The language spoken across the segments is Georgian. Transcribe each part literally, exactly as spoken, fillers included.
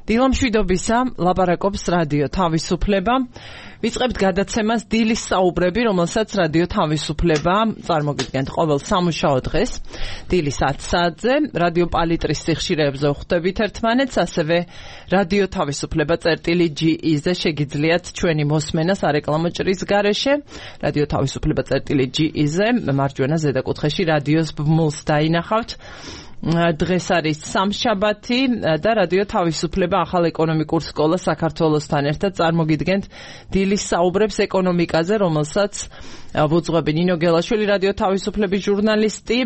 დილამშვიდობისა, ლაპარაკობს რადიო თავისუფლება. ვიწყებთ გადაცემას დილის საუბრები, რომელსაც რადიო თავისუფლება წარმოგიდგენთ ყოველ სამუშაო დღეს. დილის ათი საათზე რადიო პალიტრის სიხშირეებზე ვხვდებით ერთმანეთს, ასევე რადიო თავისუფლება წერტილი ჯი ი-ზე შეგიძლიათ ჩვენი მოსმენა სარეკლამო ჭრის გარეშე. რადიო თავისუფლება წერტილი ჯი ი-ზე მარჯვენა ზედაკუთხეში რადიოს ბმულს დაინახავთ. დღეს არის სამშაბათი და რადიო თავისუფლება ახალ ეკონომიკურ სკოლა საქართველოსთან ერთად წარმოგიდგენთ დილის საუბრებს ეკონომიკაზე, რომელსაც ვუძღვები ნინო გელაშვილი, რადიო თავისუფლების ჟურნალისტი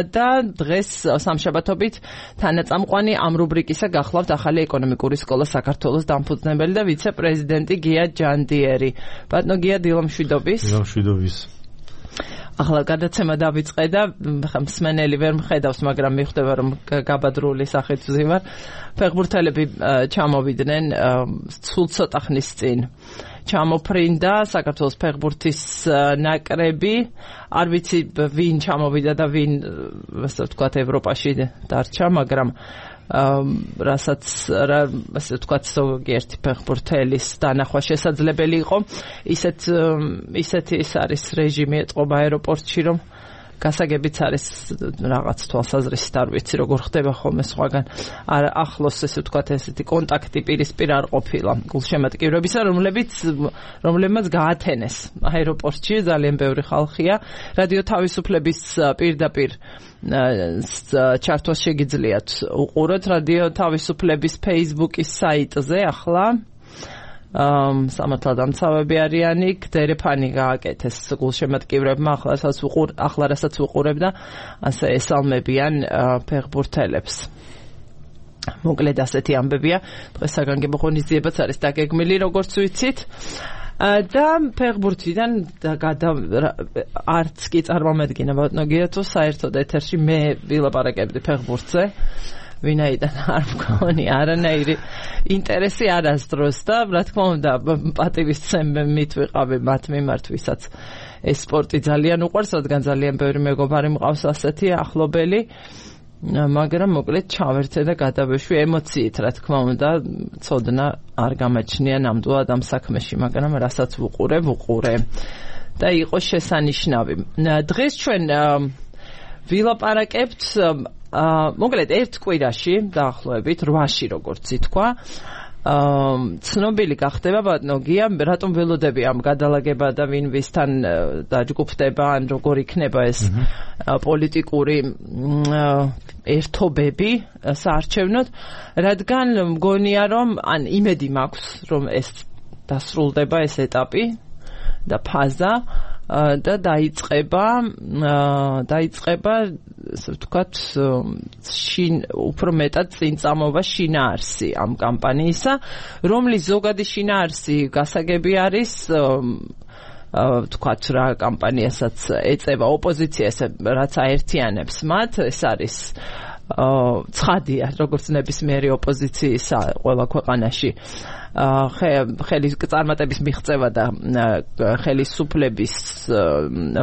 და დღეს სამშაბათობით თანაწამყვანი ამ რუბრიკისა გახლავთ ახალი ეკონომიკური სკოლა საქართველოს დამფუძნებელი და ვიცე-პრეზიდენტი გია ჯანდიერი. ბატონო გია, დილამშვიდობის. დილამშვიდობის. ახლა გადაცემა დავიწყე და მსმენელი ვერ მხედავს, მაგრამ მიხვდება, რომ გაბადრული სახით ვზივარ. ფეხბურთელები ჩამოვიდნენ სულ ცოტა ხნის წინ. ჩამოფრინდა საქართველოს ფეხბურთის ნაკრები. არ ვიცი ვინ ჩამოვიდა და ვინ, ასე ვთქვათ, ევროპაში დარჩა, მაგრამ რასაც ასე ვთქვათ, ზოგიერთი ფეხბურთელის დანახვა შესაძლებელი იყო. ისეთ ისეთი ის არის რეჟიმი ეწყობა აეროპორტში, რომ გასაგებიც არის რაღაც თვალსაზრისით, არ ვიცი როგორ ხდება ხოლმე სხვაგან. არ ახლოს ესე ვთქვათ, ესეთი კონტაქტი პირისპირ არ ყოფილა გულშემატკივრებისა, რომლებიც რომლებმაც გაათენეს აეროპორტში, ძალიან ბევრი ხალხია. რადიო თავისუფლების პირდაპირ ჩართვას შეგიძლიათ უყუროთ რადიო თავისუფლების Facebook-ის საიტზე. ახლა სამართალ დამცავები არიანი, გდერეფანი გააკეთეს გულშემატკივრებმა, ახლა უყურ, ახლა რასაც უყურებ და ასე ესალმებიან ფეხბურთელებს. მოკლედ ასეთი ამბებია. დღეს საგანგებო ღონისძიებაც არის დაგეგმილი, როგორც ვიცით. და ფეხბურთიდან არც კი წარმომედგინა ბატონო გია, თუ საერთოდ ეთერში მე ვილაპარაკებდი ფეხბურთზე. ვინაიდან არ მქონი არანაირი ინტერესი არასდროს და რა თქმა უნდა პატივისცემით ვიყავი მათ მიმართ, ვისაც ეს სპორტი ძალიან უყვარს, რადგან ძალიან ბევრი მეგობარი მყავს ასეთი ახლობელი, მაგრამ მოკლედ ჩავერთე და გადავეშვი ემოციით, რა თქმა უნდა, ცოდნა არ გამაჩნია ნამდვილად ამ საქმეში, მაგრამ რასაც ვუყურე, ვუყურე და იყო შესანიშნავი. დღეს ჩვენ ვილაპარაკებთ მოკლედ ერთ კვირაში დაახლოებით რვაში, როგორც ითქვა, ცნობილი გახდება ბატონო გია, რატომ ველოდები ამ გადალაგება და ვინ ვისთან დაჯგუფდება, ან როგორ იქნება ეს პოლიტიკური ერთობები საარჩევნოდ, რადგან მგონია, რომ ან იმედი მაქვს, რომ ეს დასრულდება ეს ეტაპი და ფაზა და დაიწყება დაიწყება ასე ვთქვათ, შინ უფრო მეტად წინწამობა შინაარსი ამ კამპანიისა, რომლის ზოგადი შინაარსი გასაგები არის, ვთქვათ, რა კამპანიასაც ეწევა ოპოზიცია, ესე რაც აერთიანებს მათ, ეს არის ცხადია, როგორც ნებისმიერი ოპოზიციისა ყველა ქვეყანაში ხელის წარმატების მიღწევა და ხელისუფლების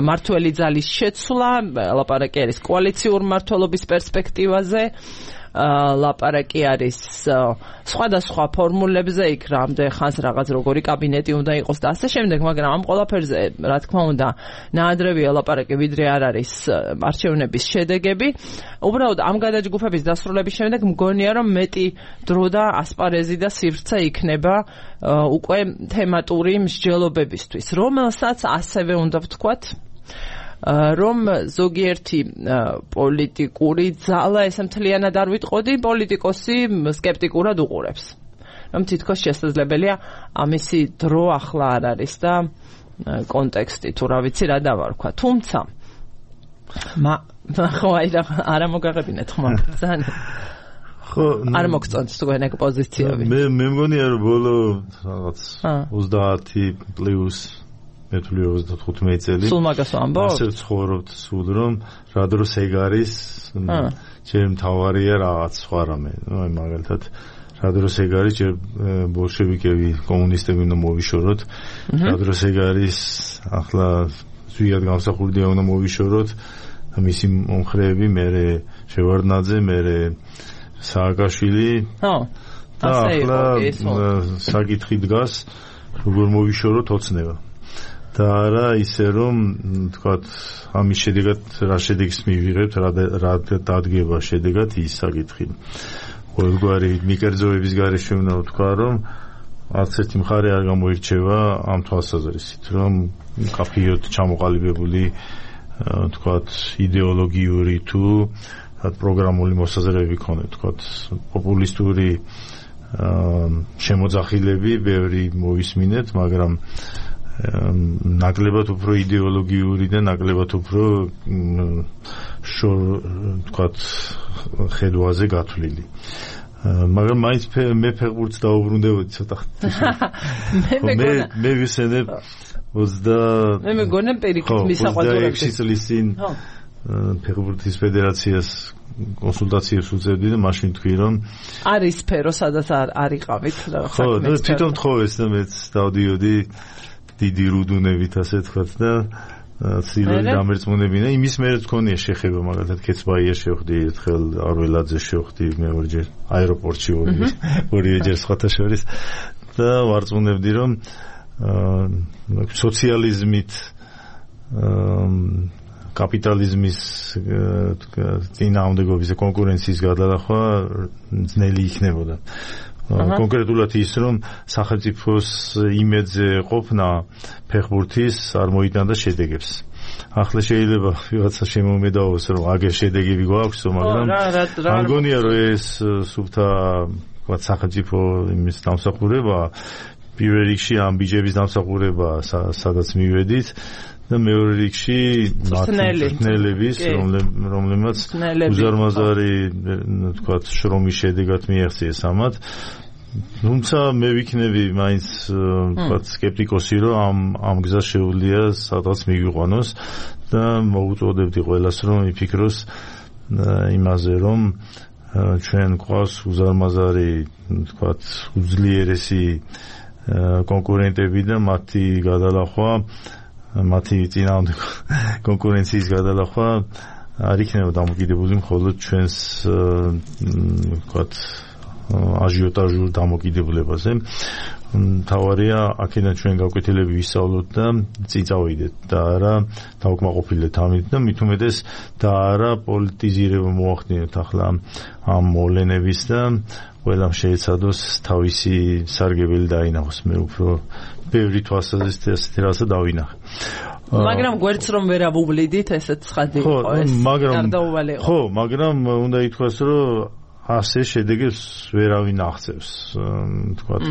მმართველი ძალის შეცვლა, ლაპარაკი არის კოალიციურ მმართველობის პერსპექტივაზე, ლაპარაკი არის სხვადასხვა ფორმულებზე, იქ რამდენ ხანს რაღაც როგორი კაბინეტი უნდა იყოს და ასე შემდეგ, მაგრამ ამ ყველაფერზე, რა თქმა უნდა, ნაადრევია ლაპარაკი, ვიდრე არ არის არჩევნების შედეგები. უბრალოდ ამ გადაჯგუფების დასრულების შემდეგ მგონია, რომ მეტი დრო და ასპარეზი და სივრცე იქნება უკვე თემატური მსჯელობებისთვის, რომელსაც ასევე უნდა ვთქვათ, რომ ზოგიერთი პოლიტიკური ძალა, ესე მთლიანად არ ვიტყოდი, პოლიტიკოსი სკეპტიკურად უყურებს. რომ თითქოს შესაძლებელია ამისი დრო ახლა არ არის და კონტექსტი თუ რა ვიცი რა დავარქვა. თუმცა მა ხო აი რა არა მოგაღებინეთ ხომ ძალიან ხო არ მოგწონთ თქვენ ეგ პოზიციები. მე მე მგონია რომ ბოლო რაღაც ოცდაათი პლუს მეთვლი ოცდათხუთმეტი წელი სულ მაგას ვამბობ? ასე ვცხოვრობთ სულ, რომ რა დროს ეგ არის ჩემ თავარია რაღაც სხვა რამე. აი მაგალითად რა დროს ეგ არის, ჯერ ბოლშევიკები, კომუნისტები უნდა მოვიშოროთ, რა დროს ეგ არის, ახლა ზვიად გამსახურდია უნდა მოვიშოროთ, მისი მომხრეები, მერე შევარდნაძე, მერე სააკაშვილი. ხო. ახლა საკითხი დგას როგორ მოვიშოროთ ოცნება და არა ისე რომ თქვათ ამის შედეგად რა შედეგს მივიღებთ რა დადგება შედეგად ის საკითხი ყოველგვარი მიკერძოების გარეშე უნდა ვთქვა რომ არც ერთი მხარე არ გამოირჩევა ამ თვალსაზრისით რომ კაფეოდ ჩამოყალიბებული თქვათ იდეოლოგიური თუ პროგრამული მოსაზრებები ქონდა თქვათ პოპულისტური შემოძახილები ბევრი მოვისმინეთ მაგრამ ნაკლებად უფრო იდეოლოგიური და ნაკლებად უფრო თქვათ ხედვაზე გათვლილი მაგრამ მაინც მე ფეხბურთს დაუბრუნდებოდი ცოტა მე მე ვისენებ ოცდა მე მეგონა პირიქით მისაყვადურებში წლის წინ ფეხბურთის ფედერაციას კონსულტაციებს უწევდი და მაშინ თქვი რომ არის სფერო სადაც არ არიყავით რა ხო და თვითონ თხოვეს და მეც დავდიოდი დიდი რუდუნებით ასე თქვათ და ცილები დამერწმუნებინა იმის მერე თქონია შეხება მაგალითად კეცბაიერში შევხვდი ერთხელ არველაძე შევხვდი მეორეჯერ აეროპორტში ორიჯერ სხვათა შორის და ვარწმუნებდი რომ სოციალიზმით კაპიტალიზმის წინააღმდეგობის და კონკურენციის გადალახვა ძნელი იქნებოდა. კონკრეტულად ის რომ სახელმწიფოს იმედზე ყოფნა ფეხბურთის არ მოიტანდა შედეგებს. ახლა შეიძლება ვიღაცა შემომედაოს რომ აგერ შედეგები გვაქვს, მაგრამ არ გონია რომ ეს სუფთა ვთქვათ სახელმწიფო იმის დამსახურება პირველ რიგში ამ ბიჯების დამსახურება სადაც მივედით და მეორე რიგში მართლმსაჯულების რომლებმაც უზარმაზარი ვთქვათ შრომის შედეგად მიაღწიეს ამათ თუმცა მე ვიქნები მაინც ვთქვათ სკეპტიკოსი რომ ამ ამ გზას შეუძლია სადღაც მიგვიყვანოს და მოუწოდებდი ყველას რომ იფიქროს იმაზე რომ ჩვენ გვყავს უზარმაზარი ვთქვათ უძლიერესი კონკურენტები და მათი გადალახვა მათი წინააღმდეგ კონკურენციის გადალახვა არ იქნება დამოკიდებული მხოლოდ ჩვენს ვთქვათ აჟიოტაჟურ დამოკიდებულებაზე. თავარია აქედან ჩვენ გაკვეთილები ვისწავლოთ და წინ წავიდეთ და არა დავკმაყოფილდეთ ამით და მით უმეტეს და არა პოლიტიზირება მოახდინოთ ახლა ამ მოვლენების და ყველამ შეეცადოს თავისი სარგებელი დაინახოს. მე უფრო ბევრი თვალსაზრისით ასეთი რაღაცა დავინახე. მაგრამ გვერდს რომ ვერ ავუვლიდით ესეც ცხადი იყო ეს გარდაუვალი იყო. ხო, მაგრამ უნდა ითქვას რომ ასე შედეგებს ვერავინ აღწევს. თქვათ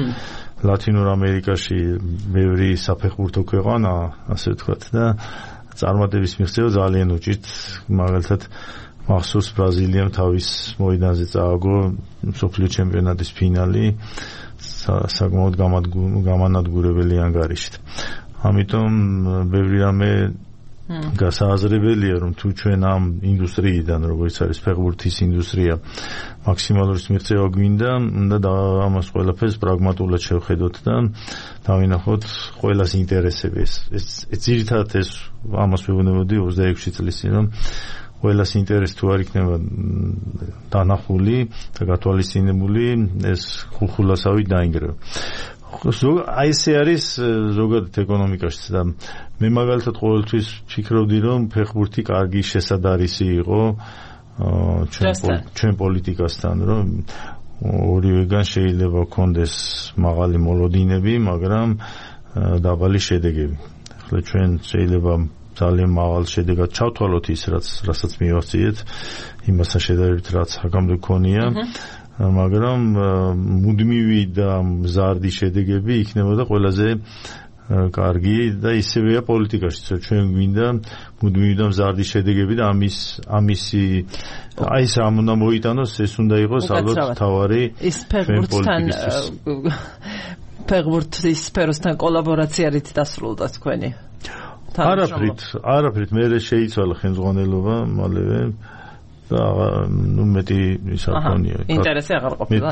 ლათინურ ამერიკაში ბევრი საფეხბურთო ქვეყანა, ასე ვთქვათ და წარმატების მიღწევა ძალიან უჭირთ. მაგალითად მახსოვს ბრაზილიამ თავის მოედანზე წააგო მსოფლიო ჩემპიონატის ფინალი საკმაოდ გამანადგურებელი ანგარიშით. ამიტომ ბევრი რამე გასააზრებელია რომ თუ ჩვენ ამ ინდუსტრიიდან როგორც არის ფეხბურთის ინდუსტრია მაქსიმალური მიღწევა გვინდა უნდა ამას ყველაფერს პრაგმატულად შევხედოთ და დავინახოთ ყველას ინტერესები ეს ძირითადად ეს ამას ვეუბნებოდი ოცდაექვსი წლის წინ რომ ყველას ინტერესი თუ არ იქნება დანახული და გათვალისწინებული ეს ხულხულასავით დაინგრევა. აი ესე არის ზოგადად ეკონომიკაშიც და მე მაგალითად ყოველთვის ფიქრობდი რომ ფეხბურთი კარგი შესადარისი იყო ჩვენ პოლიტიკასთან რომ ორივეგან შეიძლება ქონდეს მაღალი მოლოდინები მაგრამ დაბალი შედეგები. ახლა ჩვენ შეიძლება ძალიან მაღალ შედეგად ჩავთვალოთ ის რაც რასაც მივახციეთ იმასთან შედარებით რაც აქამდე ქონია მაგრამ მუდმივი და მზარდი შედეგები იქნებოდა ყველაზე კარგი და ისევეა პოლიტიკაშიც ჩვენ გვინდა მუდმივი და მზარდი შედეგები და ამის ამისი აი ეს ამ უნდა მოიტანოს ეს უნდა იყოს ალბათ თავარი ის ფეხბურთთან ფეხბურთის სფეროსთან კოლაბორაცია რით დასრულდა თქვენი არაფრით არაფრით მე შეიცვალა ხელმძღვანელობა მალევე და ნუ მეტი ის არ ქონია. ინტერესი აღარ ყოფილა.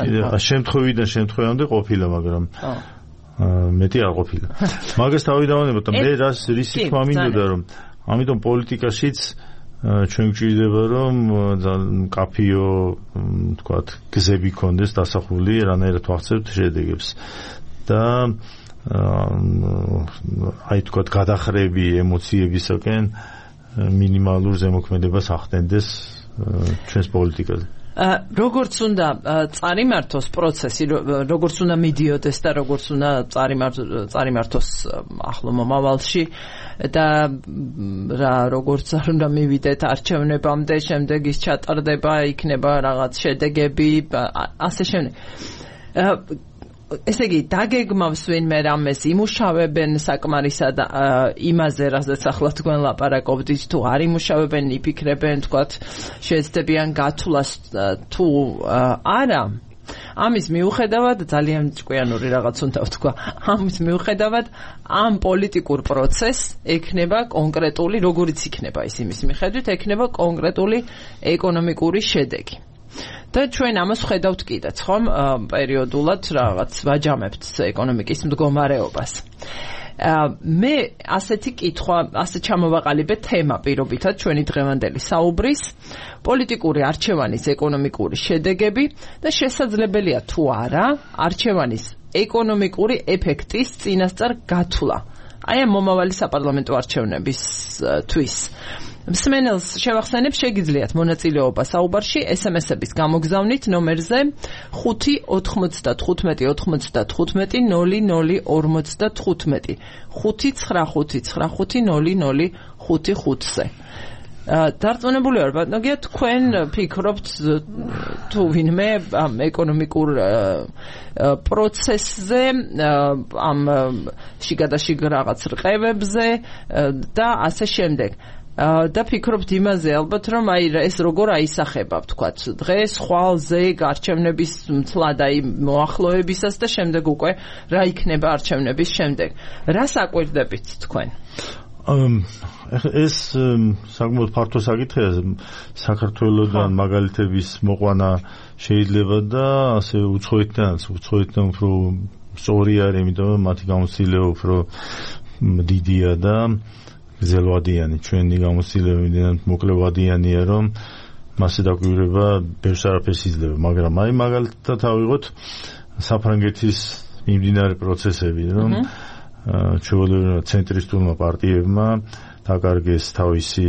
შემთხვევიდან შემთხვევამდე ყოფილა, მაგრამ მეტი არ ყოფილა. მაგას თავი დავანება და მე რას რისი თქმა მინდოდა რომ ამიტომ პოლიტიკაშიც ჩვენ გვჭირდება რომ კაფეო თქვათ გზები კონდეს დასახული რანაირად ვახცევთ შედეგებს და აი თქვათ გადახრები ემოციებისაკენ მინიმალურ ზემოქმედებას ახდენდეს ჩვენს პოლიტიკაზე. როგორც უნდა წარიმართოს პროცესი, როგორც უნდა მიდიოდეს და როგორც უნდა წარიმართოს ახლო მომავალში და რა როგორც არ უნდა მივიდეთ არჩევნებამდე, შემდეგ ის ჩატარდება, იქნება რაღაც შედეგები, ასე შემდეგ. ესე იგი, დაგეგმავს ვინმე რამეს, იმუშავებენ საკმარისად იმაზე, რასაც ახლა თქვენ ლაპარაკობდით, თუ არ იმუშავებენ, იფიქრებენ, თქვათ, შეეცდებიან გათვლას თუ არა. ამის მიუხედავად, ძალიან ჭკვიანური რაღაც უნდა ვთქვა, ამის მიუხედავად, ამ პოლიტიკურ პროცესს ექნება კონკრეტული, როგორიც იქნება ის იმის მიხედვით, ექნება კონკრეტული ეკონომიკური შედეგი. და ჩვენ ამას ვხედავთ კიდეც, ხომ, პერიოდულად რაღაც ვაჯამებთ ეკონომიკის მდგომარეობას. მე ასეთი კითხვა, ასე ჩამოვაყალიბე თემა პირობითად ჩვენი დღევანდელი საუბრის, პოლიტიკური არჩევანის ეკონომიკური შედეგები და შესაძლებელია თუ არა არჩევანის ეკონომიკური ეფექტის წინასწარ გათვლა. აი ამ მომავალი საპარლამენტო არჩევნებისთვის. მსმენელს შევახსენებ, შეგიძლიათ მონაწილეობა საუბარში ეს ემ ესების გამოგზავნით ნომერზე ხუთი ოთხმოცდათხუთმეტი ოცდათხუთმეტი ნული ნული ორმოცდათხუთმეტი ხუთი ცხრა ხუთი ცხრა ხუთი ნული ნული ხუთი ხუთზე. დარწმუნებული ვარ, ბატონო გია, თქვენ ფიქრობთ თუ ვინმე ამ ეკონომიკურ პროცესზე, ამ შიგადაშიგ რაღაც რყევებზე და ასე შემდეგ. და ფიქრობთ იმაზე ალბათ რომ აი ეს როგორ აისახება ვთქვათ დღეს ხვალზე არჩევნების მთლად აი მოახლოებისას და შემდეგ უკვე რა იქნება არჩევნების შემდეგ. რას აკვირდებით თქვენ? ეს საკმაოდ ფართო საკითხია. საქართველოსთან მაგალითების მოყვანა შეიძლება და ასე უცხოეთთანაც უცხოეთთან უფრო სწორი არის, იმიტომ მათი გამოცდილება უფრო დიდია და გზელვადიანი, ჩვენი გამოცდილება იმდენად მოკლევადიანია, რომ მასზე დაკვირვება ბევრს არაფერს იძლევა, მაგრამ აი მაგალითად ავიღოთ საფრანგეთის მიმდინარე პროცესები, რომ ჩვეულებრივ ცენტრისტულმა პარტიებმა დაკარგეს თავისი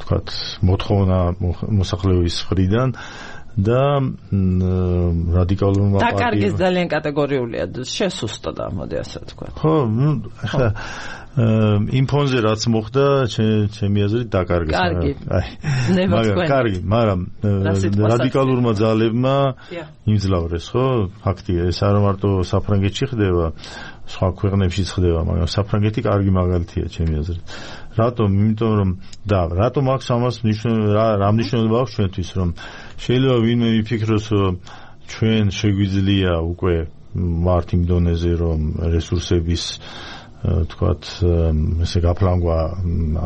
თქვათ მოთხოვნა მოსახლეობის მხრიდან და რადიკალურმა პარტიებმა დაკარგეს ძალიან კატეგორიულია, შესუსტდა, მოდი ასე ვთქვათ. ხო, ნუ ახლა იმ ფონზე რაც მოხდა, ჩემი აზრით დაკარგეს. კარგი. მაგრამ კარგი, მაგრამ რადიკალურმა ძალებმა იმძლავრეს, ხო? ფაქტია, ეს არ მარტო საფრანგეთში ხდება, სხვა ქვეყნებშიც ხდება, მაგრამ საფრანგეთი კარგი მაგალითია ჩემი აზრით. რატომ? იმიტომ რომ და რატომ აქვს ამას რა მნიშვნელობა აქვს ჩვენთვის, რომ შეიძლება ვინმე მიფიქროს, რომ ჩვენ შეგვიძლია უკვე ვართ იმ დონეზე, რომ რესურსების თქვათ ესე გაფლანგვა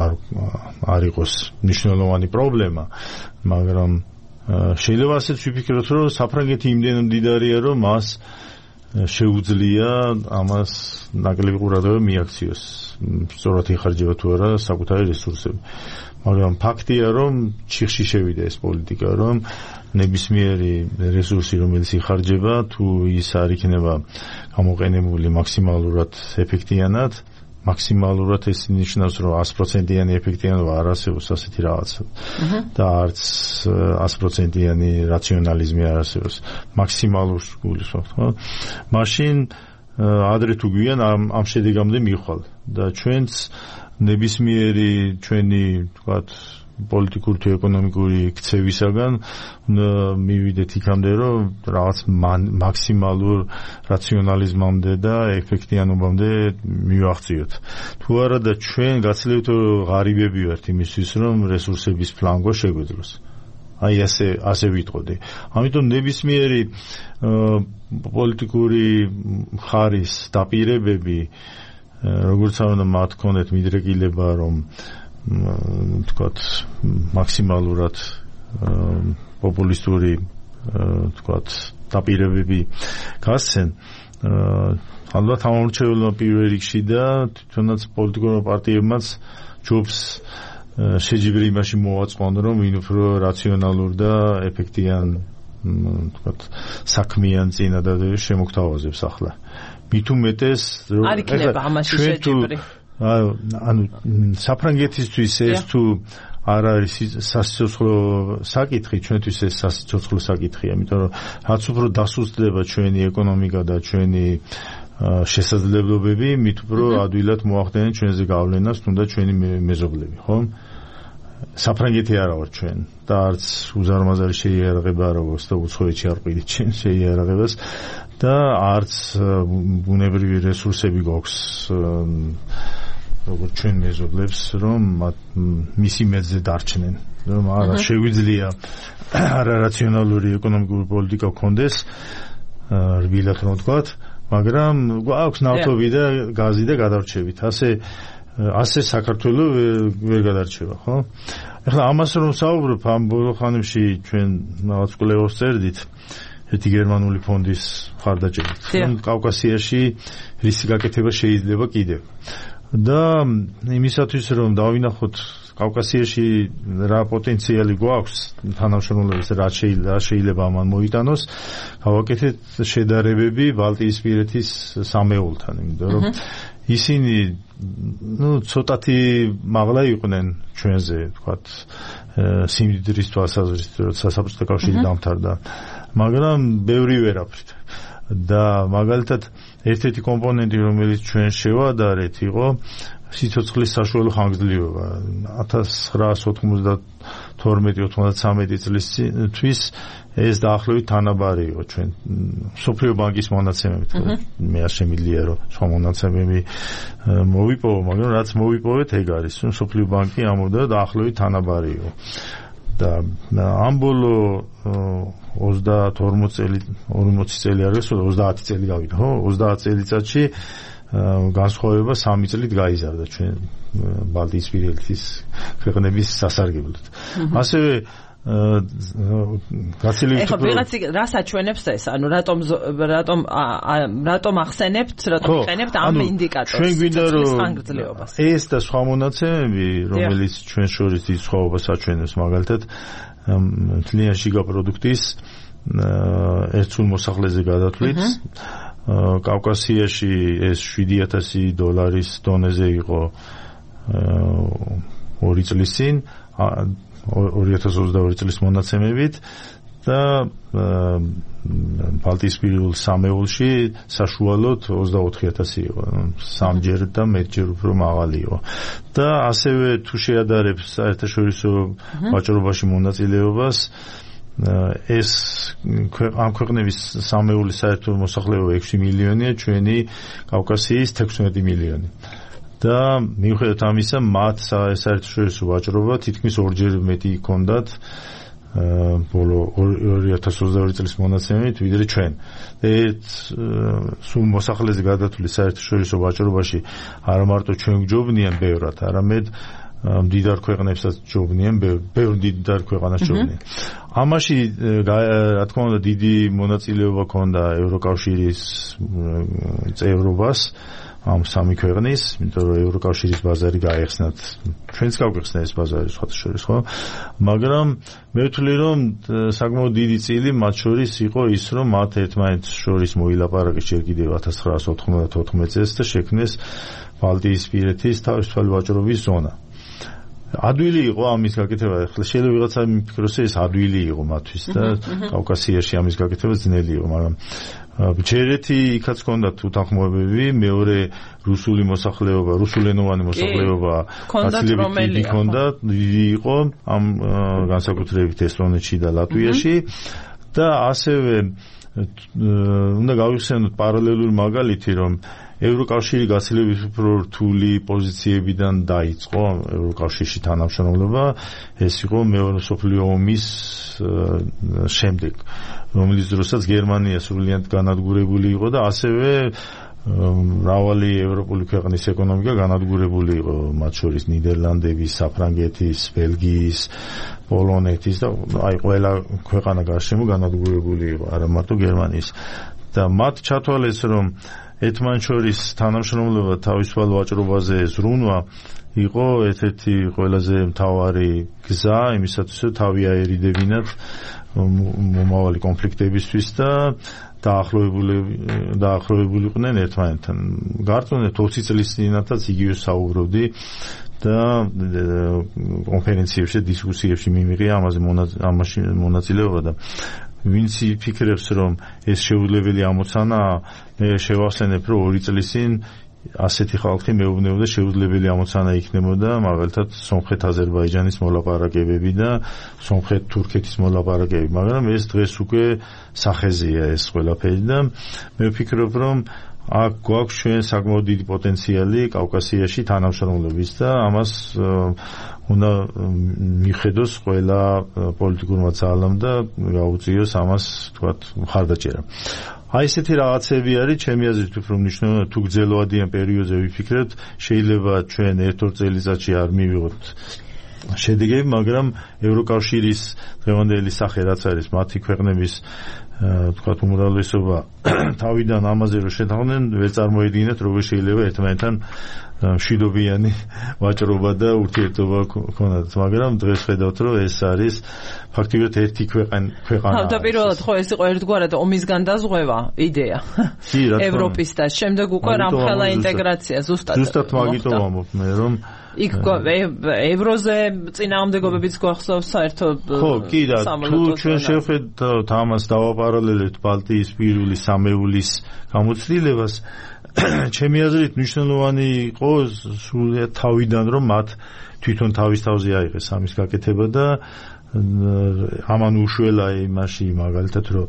არ არ იყოს მნიშვნელოვანი პრობლემა, მაგრამ შეიძლება ასეც ვიფიქროთ, რომ საფრანგეთი იმდენად მდიდარია, რომ მას შეუძლია ამას ნაკლები ყურადღება მიაქციოს, სწორად იხარჯება თუ არა საკუთარი რესურსები. მაგრამ ფაქტია, რომ ჩიხში შევიდა ეს პოლიტიკა, რომ ნებისმიერი რესურსი, რომელიც იხარჯება, თუ ის არ იქნება გამოყენებული მაქსიმალურად ეფექტიანად, მაქსიმალურად ეს ნიშნავს, რომ ას პროცენტიანი ეფექტიანობა არ არსებობს ასეთი რაღაცა. და არც ას პროცენტიანი რაციონალიზმი არ არსებობს. მაქსიმალურს გულისხმობთ, ხო? მაშინ ადრე თუ გვიან ამ ამ შედეგამდე მივხვალ და ჩვენც ნებისმიერი ჩვენი თქვათ პოლიტიკური თუ ეკონომიკური ქცევისაგან მივიდეთ იქამდე, რომ რაღაც მაქსიმალურ რაციონალიზმამდე და ეფექტიანობამდე მივაღწიოთ. თუ არა და ჩვენ გაცილებით ღარიბები ვართ იმისთვის, რომ რესურსების ფლანგვა შეგვეძლოს. აი ასე ასე ვიტყოდი. ამიტომ ნებისმიერი პოლიტიკური ხარის დაპირებები, როგორც არ უნდა მათ ქონდეთ მიდრეკილება, რომ თქვათ მაქსიმალურად პოპულისტური თქვათ დაპირებები გასცენ, ალბათ ამორჩეულმა პირველ რიგში და თვითონაც პოლიტიკურმა პარტიებმაც ჯობს შეჯიბრი იმაში მოვაწყონ, რომ ვინ უფრო რაციონალურ და ეფექტიან თქვათ საქმიან წინადადებებს შემოგთავაზებს ახლა. მით უმეტეს რომ არ იქნება ამაში შეჯიბრი. ანუ საფრანგეთისთვის ეს თუ არ არის სასიცოცხლო საკითხი, ჩვენთვის ეს სასიცოცხლო საკითხია, იმიტომ რომ რაც უფრო დასუსტდება ჩვენი ეკონომიკა და ჩვენი შესაძლებლობები, მით უფრო ადვილად მოახდენენ ჩვენზე გავლენას, თუნდაც ჩვენი მეზობლები, ხო? საფრანგეთი არა ვარ ჩვენ და არც უზარმაზარი შეიარაღება არ აქვს და უცხოეთში არ ყიდით ჩვენ შეიარაღებას და არც ბუნებრივი რესურსები გვაქვს როგორც ჩვენ მეზობლებს, რომ მისი მეძზე დარჩნენ, რომ არა შეგვიძლია არარაციონალური ეკონომიკური პოლიტიკა გქონდეს, რბილად რომ ვთქვათ, მაგრამ გვაქვს ნავთობი და გაზი და გადარჩებით. ასე ასე საქართველო ვერ გადარჩება, ხო? ეხლა ამას რომ საუბრობ, ამ ბოლო ხანებში ჩვენ რაღაც კვლევას წერდით ერთი გერმანული ფონდის მხარდაჭერით, რომ კავკასიაში რისი გაკეთება შეიძლება კიდევ. და იმისათვის რომ დავინახოთ კავკასიაში რა პოტენციალი გვაქვს თანამშრომლობის რა შეიძლება შეიძლება ამან მოიტანოს, გავაკეთეთ შედარებები ბალტიისპირეთის სამეულთან, იმიტომ რომ ისინი ну ცოტათი მაღლა იყვნენ ჩვენზე, ვთქვათ, სიმდიდრის თვალსაზრისით, როცა საბჭოთა კავშირი დამთავრდა, მაგრამ ბევრი ვერაფრით. და მაგალითად ერთ-ერთი კომპონენტი, რომელიც ჩვენ შევადარეთ, იყო სიცოცხლის საშუალო ხანგრძლივობა. ათას ცხრაასი ოთხმოცდათორმეტი ოთხმოცდათსამეტი წლისთვის ეს დაახლოებით თანაბარი იყო ჩვენ მსოფლიო ბანკის მონაცემებით. მე არ შემიძლია რომ სხვა მონაცემები მოვიპოვო, მაგრამ რაც მოვიპოვეთ ეგ არის, რომ მსოფლიო ბანკი ამბობდა დაახლოებით თანაბარი იყო. და ამ ბოლო ოცდაოთხ წელი ორმოცი წელი არის, ოცდაათი წელი გავიდა, ხო? ოცდაათი წელიწადში განსხვავება სამი წლით გაიზარდა ჩვენ ბალტიისპირეთის ქვეყნების სასარგებლოდ. ასევე გაცილებით ეხლა ვიღაცი რას აჩვენებს ეს? ანუ რატომ რატომ რატომ ახსენებთ, რატომ იყენებთ ამ ინდიკატორს? ჩვენ გვინდა რომ ეს და სხვა მონაცემები, რომელიც ჩვენ შორის დიდ სხვაობას აჩვენებს, მაგალითად მთლიან შიგა პროდუქტის ერთსულ მოსახლეზე გადათვლით კავკასიაში ეს შვიდი ათასი დოლარის დონეზე იყო ორი წლის წინ, ორი ათას ოცდაორი წლის მონაცემებით და ბალტიისპირულ სამეულში საშუალოდ ოცდაოთხი ათასი იყო, სამჯერ და მეტჯერ უფრო მაღალი იყო. და ასევე თუ შეადარებს საერთაშორისო ვაჭრობაში მონაწილეობას, ეს ამ ქვეყნების სამეულის საერთო მოსახლეობა ექვსი მილიონია, ჩვენი კავკასიის თექვსმეტი მილიონი. და მიუხედავად ამისა, მათ საერთაშორისო ვაჭრობა თითქმის ორჯერ მეტი ჰქონდათ ბოლო ორი ათას ოცდაორი წლის მონაცემებით, ვიდრე ჩვენ. ერთ სულ მოსახლეზე გადათვლის საერთაშორისო ვაჭრობაში არა მარტო ჩვენ გვჯობნიან ბევრად, არამედ მდიდარ ქვეყნებსაც ჯობნიან, ბევრ მდიდარ ქვეყანას ჯობნიან. ამაში რა თქმა უნდა დიდი მონაწილეობა ჰქონდა ევროკავშირის წევრობას ამ სამი ქვეყნის, იმიტომ რომ ევროკავშირის ბაზარი გაიხსნათ, ჩვენც გავიხსნა ეს ბაზარი სხვათა შორის, ხო? მაგრამ მე ვთვლი, რომ საკმაოდ დიდი წილი მათ შორის იყო ის, რომ მათ ერთმანეთს შორის მოილაპარაკეს ჯერ კიდევ ათას ცხრაასი ოთხმოცდათოთხმეტი წელს და შექმნეს ბალტიისპირეთის თავისუფალი ვაჭრობის ზონა. ადვილი იყო ამის გაკეთება, ახლა შეიძლება ვიღაცა მიფიქროს, ეს ადვილი იყო მათთვის და კავკასიაში ამის გაკეთება ძნელი იყო, მაგრამ ჯერეთი იქაც ჰქონდათ უთანხმოებები, მეორე რუსული მოსახლეობა, რუსულენოვანი მოსახლეობა გაცილებით დიდი ჰქონდა, დიდი იყო ამ განსაკუთრებით ესტონეთში და ლატვიაში და ასევე უნდა გავიხსენოთ პარალელური მაგალითი, რომ ევროკავშირი გაცილებით უფრო რთული პოზიციებიდან დაიწყო ევროკავშირში თანამშრომლობა, ეს იყო მეორე მსოფლიო ომის შემდეგ, რომელიც დროსაც გერმანია სრულიად განადგურებული იყო და ასევე მრავალი ევროპული ქვეყნის ეკონომიკა განადგურებული იყო, მათ შორის ნიდერლანდების, საფრანგეთის, ბელგიის, პოლონეთის და აი ყველა ქვეყანა გარშემო განადგურებული იყო, არა მარტო გერმანიის. და მათ ჩათვალეს, რომ ერთმანეთშორის თანამშრომლობა თავისუფალ ვაჭრობაზე ზრუნვა იყო ერთ-ერთი ყველაზე მთავარი გზა იმისათვის, რომ თავი აერიდებინათ მომავალი კონფლიქტებისთვის და დაახლოებული დაახლოებულიყვნენ ერთმანეთთან. გართმევთ ოცი წლის წინათაც იგივე საუბრობდი და კონფერენციებში, დისკუსიებში მიმიღია ამაზე ამაში მონაწილეობა და ვინც იფიქრებს, რომ ეს შეუძლებელი ამოცანაა, მე შევახსენებ, რომ ორი წლის წინ ასეთი ხალხი მეუბნებოდა შეუძლებელი ამოცანა იქნებოდა მაგალითად სომხეთ-აზერბაიჯანის მოლაპარაკებები და სომხეთ-თურქეთის მოლაპარაკებები, მაგრამ ეს დღეს უკვე სახეზეა ეს ყველაფერი და მე ვფიქრობ, რომ აქ გვაქვს ჩვენ საკმაოდ დიდი პოტენციალი კავკასიაში თანამშრომლობის და ამას უნდა მიხედოს ყველა პოლიტიკურმა ძალამ და გაუწიოს ამას თქვათ მხარდაჭერა. აი ესეთი რაღაცები არის ჩემი აზრით უფრო მნიშვნელოვანი თუ გრძელვადიან პერიოდზე ვიფიქრებთ შეიძლება ჩვენ ერთ-ორ წელიწადში არ მივიღოთ შედეგები, მაგრამ ევროკავშირის დღევანდელი სახე რაც არის მათი ქვეყნების თქვათ უმრავლესობა თავიდან ამაზე რომ შეთანხმდნენ ვერ წარმოედგინათ როგორ შეიძლება ერთმანეთთან მშვიდობიანი ვაჭრობა და ურთიერთობა ქონათ, მაგრამ დღეს ხედავთ რომ ეს არის ფაქტიურად ერთი ქვეყანა. თავდაპირველად ხო ეს იყო ერთგვარად ომის განდაზღვევა იდეა ევროპის და შემდეგ უკვე რამხელა ინტეგრაცია ზუსტად. ზუსტად მაგიტომ ვამბობ მე რომ იქ ევროზე წინააღმდეგობებიც გვახსოვს საერთოდ ხო კი და თუ ჩვენ შევხედავთ ამას დავაპარალელებთ ბალტიისპირული სამეულის გამოცდილებას ჩემი აზრით მნიშვნელოვანი იყო სრულიად თავიდან რომ მათ თვითონ თავის თავზე აიღეს ამის გაკეთება და ამან უშველა იმაში მაგალითად რომ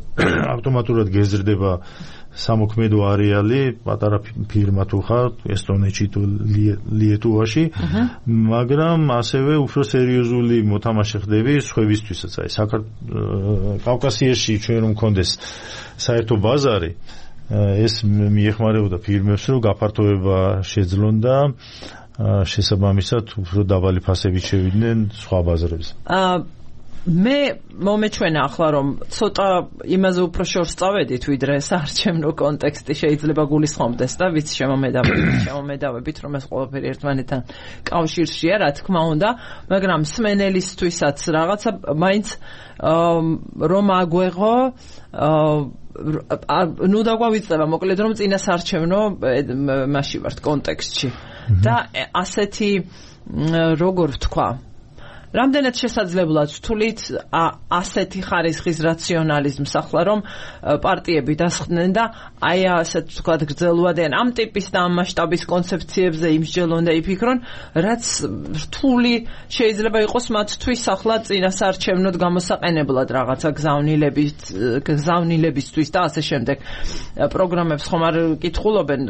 ავტომატურად გეზრდება სამოქმედო არეალი პატარა ფირმა თუ ხარ ესტონეთში თუ ლიეტუვაში, მაგრამ ასევე უფრო სერიოზული მოთამაშე ხდები სხვებისთვისაც. აი საქართველოს კავკასიაში ჩვენ რომ მქონდეს საერთო ბაზარი ეს მიეხმარებოდა ფირმებს რომ გაფართოება შეძლონ და შესაბამისად უფრო დაბალი ფასებით შევიდნენ სხვა ბაზრებზე. მე მომეჩვენა ახლა რომ ცოტა იმაზე უფრო შორს წავედით ვიდრე საარჩევნო კონტექსტი შეიძლება გულისხმობდეს და ვიცი შემომედავებით შემომედავებით რომ ეს ყველაფერი ერთმანეთთან კავშირშია რა თქმა უნდა, მაგრამ სმენელისთვისაც რაღაცა მაინც რომ აგვეღო ნუ დაგვავიწყება მოკლედ რომ წინა საარჩევნო მასში ვართ კონტექსტში და ასეთი როგორ ვთქვა რამდენად შესაძლებლად ვთვლით ასეთი ხარისხის რაციონალიზმს ახლა რომ პარტიები დასხდნენ და აი ასეთ ვთქვათ გრძელვადიან ამ ტიპის და ამ მასშტაბის კონცეფციებზე იმსჯელონ და იფიქრონ, რაც რთული შეიძლება იყოს მათთვის ახლა წინასაარჩევნოდ გამოსაყენებლად რაღაცა გზავნილებით გზავნილებისთვის და ასე შემდეგ პროგრამებს ხომ არ კითხულობენ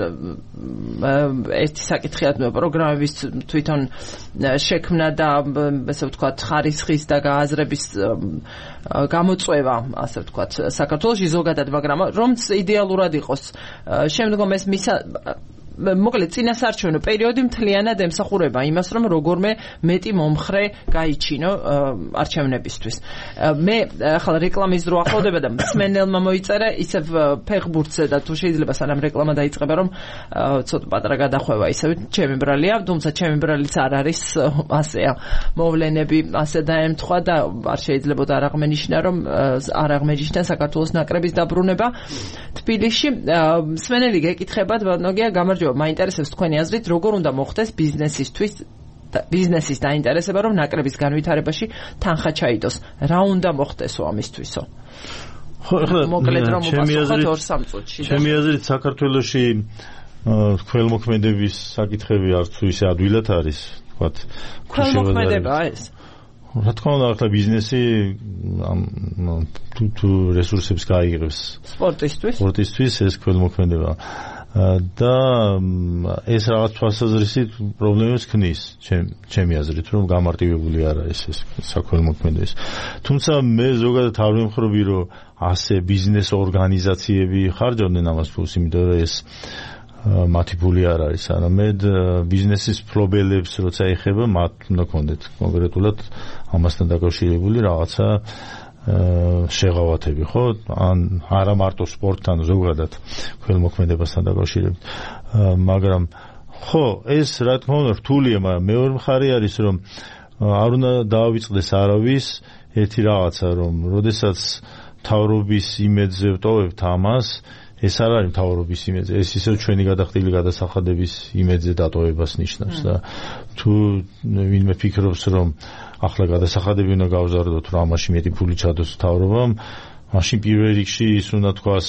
ერთი საკითხია პროგრამების თვითონ შექმნა და ესე ვთქვათ ხარისხის და გააზრების გამოწვევა, ასე ვთქვათ, საქართველოში ზოგადად, მაგრამ რომც იდეალურად იყოს, შემდგომ ეს მისა მოკლედ წინასაარჩევნო პერიოდი მთლიანად ემსახურება იმას, რომ როგორმე მეტი მომხრე გაიჩინო არჩევნებისთვის. მე ახლა რეკლამის დრო ახლოვდება და მსმენელმა მოიწერა ისევ ფეხბურთზე და თუ შეიძლება სანამ რეკლამა დაიწყება, რომ ცოტა პატარა გადახვევა ისევ ჩემი ბრალია, თუმცა ჩემი ბრალიც არ არის ასეა. მოვლენები ასე დაემთხვა და არ შეიძლება არ აღმენიშნა, რომ არ აღმენიშნა საქართველოს ნაკრების დაბრუნება თბილისში. მსმენელი გეკითხებათ, ბატონოგია, გამარჯობა, მაინტერესებს თქვენი აზრით, როგორ უნდა მოხდეს ბიზნესისთვის ბიზნესის დაინტერესება, რომ ნაკრების განვითარებაში თანხა ჩაიდოს. რა უნდა მოხდესო ამისთვისო? ხო, ახლა მოკლედ რომ უპასუხოთ ორ-სამ წუთში. ჩემი აზრით, საქართველოში ქველმოქმედების საკითხები არც თუ ისე ადვილად არის, თქვათ, ქველმოქმედება ეს. რა თქმა უნდა, ახლა ბიზნესი თუ თუ რესურსებს გაიღებს სპორტისთვის, სპორტისთვის ეს ქველმოქმედება და ეს რაღაც თვალსაზრისით პრობლემებს ქმნის ჩემი აზრით, რომ გამარტივებული არ არის ეს საქველმოქმედების. თუმცა მე ზოგადად არ ვიმხრობი, რომ ასე ბიზნეს ორგანიზაციები ხარჯავდნენ ამას ფულს, იმიტომ რომ ეს მათი ფული არ არის, არამედ ბიზნესის მფლობელებს როცა ეხება, მათ უნდა კონდეთ კონკრეტულად ამასთან დაკავშირებული რაღაცა შეღავათები, ხო? ან არა მარტო სპორტთან, ზოგადად ქველმოქმედებასთან დაკავშირებით. მაგრამ ხო, ეს რა თქმა უნდა რთულია, მაგრამ მეორე მხარე არის, რომ არ უნდა დაავიწყდეს არავის ერთი რაღაცა, რომ როდესაც მთავრობის იმედზე ვტოვებთ ამას, ეს არ არის მთავრობის იმედზე, ეს ისევ ჩვენი გადახდილი გადასახადების იმედზე დატოვებას ნიშნავს და თუ ვინმე ფიქრობს, რომ ახლა გადასახადები უნდა გავზარდოთ, რომ ამაში მეტი ფული ჩადოს მთავრობამ, მაშინ პირველ რიგში ის უნდა თქვას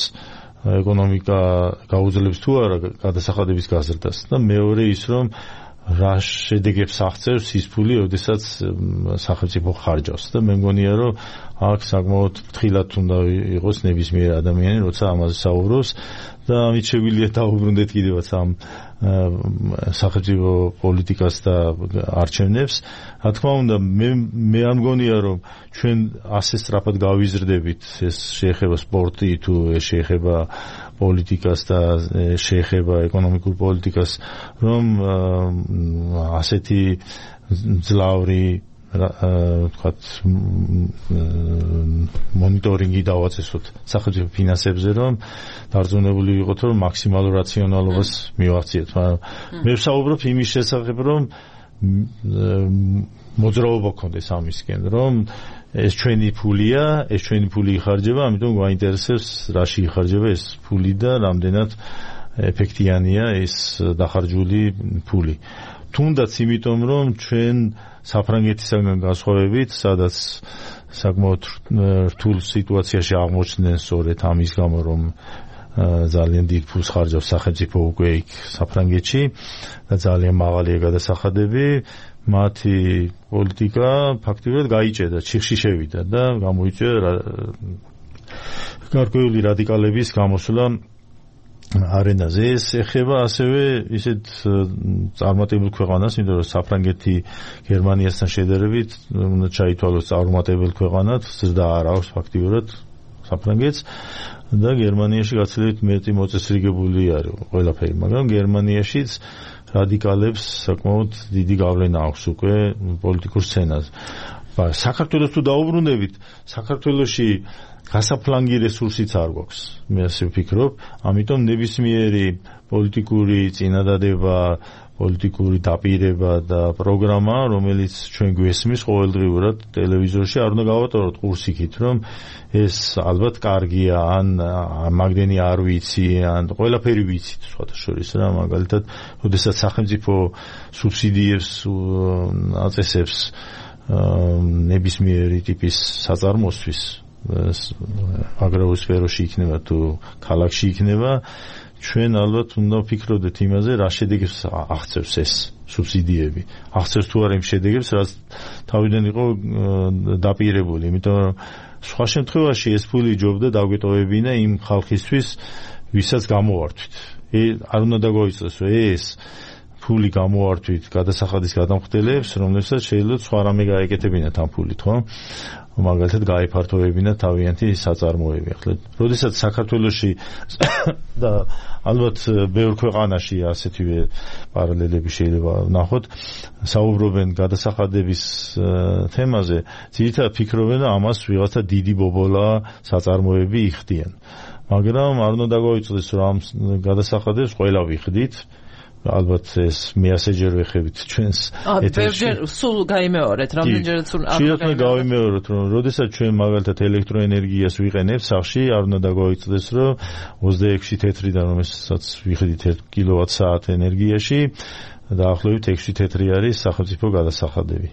ეკონომიკა გაუძლებს თუ არა გადასახადების გაზრდას და მეორე ის, რომ რა შედეგებს აღწევს ის ფული, როდესაც სახელმწიფო ხარჯავს და მე მგონია, რომ აქ საკმაოდ ფრთხილად უნდა იყოს ნებისმიერ ადამიანი, როცა ამაზე საუბრობს და ამით შეგვიძლია დავუბრუნდეთ კიდევაც ამ სახელმწიფო პოლიტიკას და არჩევნებს. რა თქმა უნდა, მე მე არ მგონია, რომ ჩვენ ასე სწრაფად გავიზრდებით, ეს შეეხება სპორტი თუ ეს შეეხება პოლიტიკას და შეეხება ეკონომიკურ პოლიტიკას, რომ ასეთი ძლავრი ვთქვათ მონიტორინგი დავაწესოთ სახელმწიფო ფინანსებზე, რომ დარწმუნებული ვიყოთ, რომ მაქსიმალურ რაციონალობას მივახციეთ. მაგრამ მე ვსაუბრობ იმის შესახებ, რომ მოძრაობა გქონდეს ამისკენ, რომ ეს ჩვენი ფულია, ეს ჩვენი ფული იხარჯება, ამიტომ გვაინტერესებს რაში იხარჯება ეს ფული და რამდენად ეფექტიანია ეს დახარჯული ფული. თუნდაც იმიტომ, რომ ჩვენ საფრანგეთისგან განსხვავებით, სადაც საკმაოდ რთულ სიტუაციაში აღმოჩნდნენ სწორედ ამის გამო, რომ ძალიან დიდ ფულს ხარჯავს სახელმწიფო უკვე იქ საფრანგეთში და ძალიან მაღალია გადასახადები, მათი პოლიტიკა ფაქტობრივად გაიჭედა, ჩიხში შევიდა და გამოიწვია გარკვეული რადიკალების გამოსვლა არენაზე. ეს ეხება ასევე ისეთ წარმატებულ ქვეყანას, იმიტომ რომ საფრანგეთი გერმანიასთან შედარებით უნდა ჩაითვალოს წარმატებულ ქვეყანად, ზრდა არ აქვს ფაქტობრივად საფრანგეთს და გერმანიაში გაცილებით მეტი მოწესრიგებული არის ყველაფერი, მაგრამ გერმანიაშიც რადიკალებს საკმაოდ დიდი გავლენა აქვს უკვე პოლიტიკურ სცენაზე. საქართველოს თუ დაუბრუნდებით, საქართველოში გასაფლანგი რესურსიც არ გვაქვს, მე ასე ვფიქრობ, ამიტომ ნებისმიერი პოლიტიკური წინადადება, პოლიტიკური დაპირება და პროგრამა, რომელიც ჩვენ გვესმის ყოველდღიურად ტელევიზორში, არ უნდა გავატაროთ ყურსიქით, რომ ეს ალბათ კარგია, ან მაგდენი არ ვიცი, ან ყველაფერი ვიცით, სხვათა შორის რა, მაგალითად, როდესაც სახელმწიფო სუბსიდიებს აწესებს ნებისმიერი ტიპის საწარმოსთვის, აგრარულ სფეროში იქნება თუ ქალაქში იქნება, ჩვენ ალბათ უნდა ვფიქრობდეთ იმაზე, რა შედეგებს აღწევს ეს სუბსიდიები. აღწევს თუ არა იმ შედეგებს, რაც თავიდან იყო დაპირებული, იმიტომ რომ სხვა შემთხვევაში ეს ფული ჯობდა დაგვეტოვებინა იმ ხალხისთვის, ვისაც გამოვართვით. არ უნდა დაგვაიწოს, რომ ეს ფული გამოვართვით გადასახადის გადამხდელებს, რომლებსაც შეიძლება სხვა რამე გაეკეთებინათ ამ ფულით, ხო? მაგალითად გაიფართოვებინა თავიანთი საწარმოები. ახლა, როდესაც საქართველოში და ალბათ ბევრ ქვეყანაში ასეთივე პარალელები შეიძლება ვნახოთ, საუბრობენ გადასახადების თემაზე, ძირითადად ფიქრობენ, რომ ამას ვიღაცა დიდი ბობოლა საწარმოები იხდიან. მაგრამ არ უნდა დაგვაიწოდეს, რომ ამ გადასახადებს ყველა ვიხდით. ალბათ ეს მე ასეჯერ ვეხებით ჩვენს ეთერში. სულ გაიმეორეთ, რამდენჯერაც სულ არ შეიძლება გავიმეოროთ, რომ როდესაც ჩვენ მაგალითად ელექტროენერგიას ვიყენებთ სახში, არ უნდა დაგვაიწოდეს, რომ ოცდაექვსი თეთრიდან, რომელსაც ვიხდით ერთ კილოვატ-საათ ენერგიაში, დაახლოებით ექვსი თეთრი არის სახელმწიფო გადასახადები.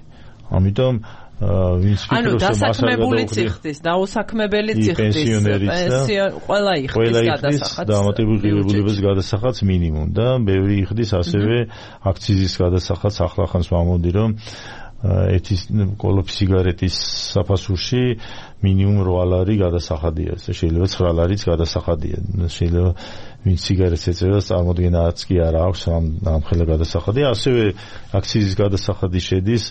ამიტომ ვინც ანუ დასაქმებული ციხდის, დაუსაქმებელი ციხდის, პენსიო ყველა იხდის გადასახადს. დამატებულ ღირებულებას გადასახადს მინიმუმ და ბევრი იხდის ასევე აქციზის გადასახადს. ახლახანს ვამბობდი, რომ ეთის კოლოფი სიგარეტის საფასურში მინიმუმ რვა ლარი გადასახადია, შეიძლება ცხრა ლარიც გადასახადია. შეიძლება ვინც სიგარეტს ეწევა, წარმოდგენაც კი არ აქვს ამხელა გადასახადი. ასევე აქციზის გადასახადი შედის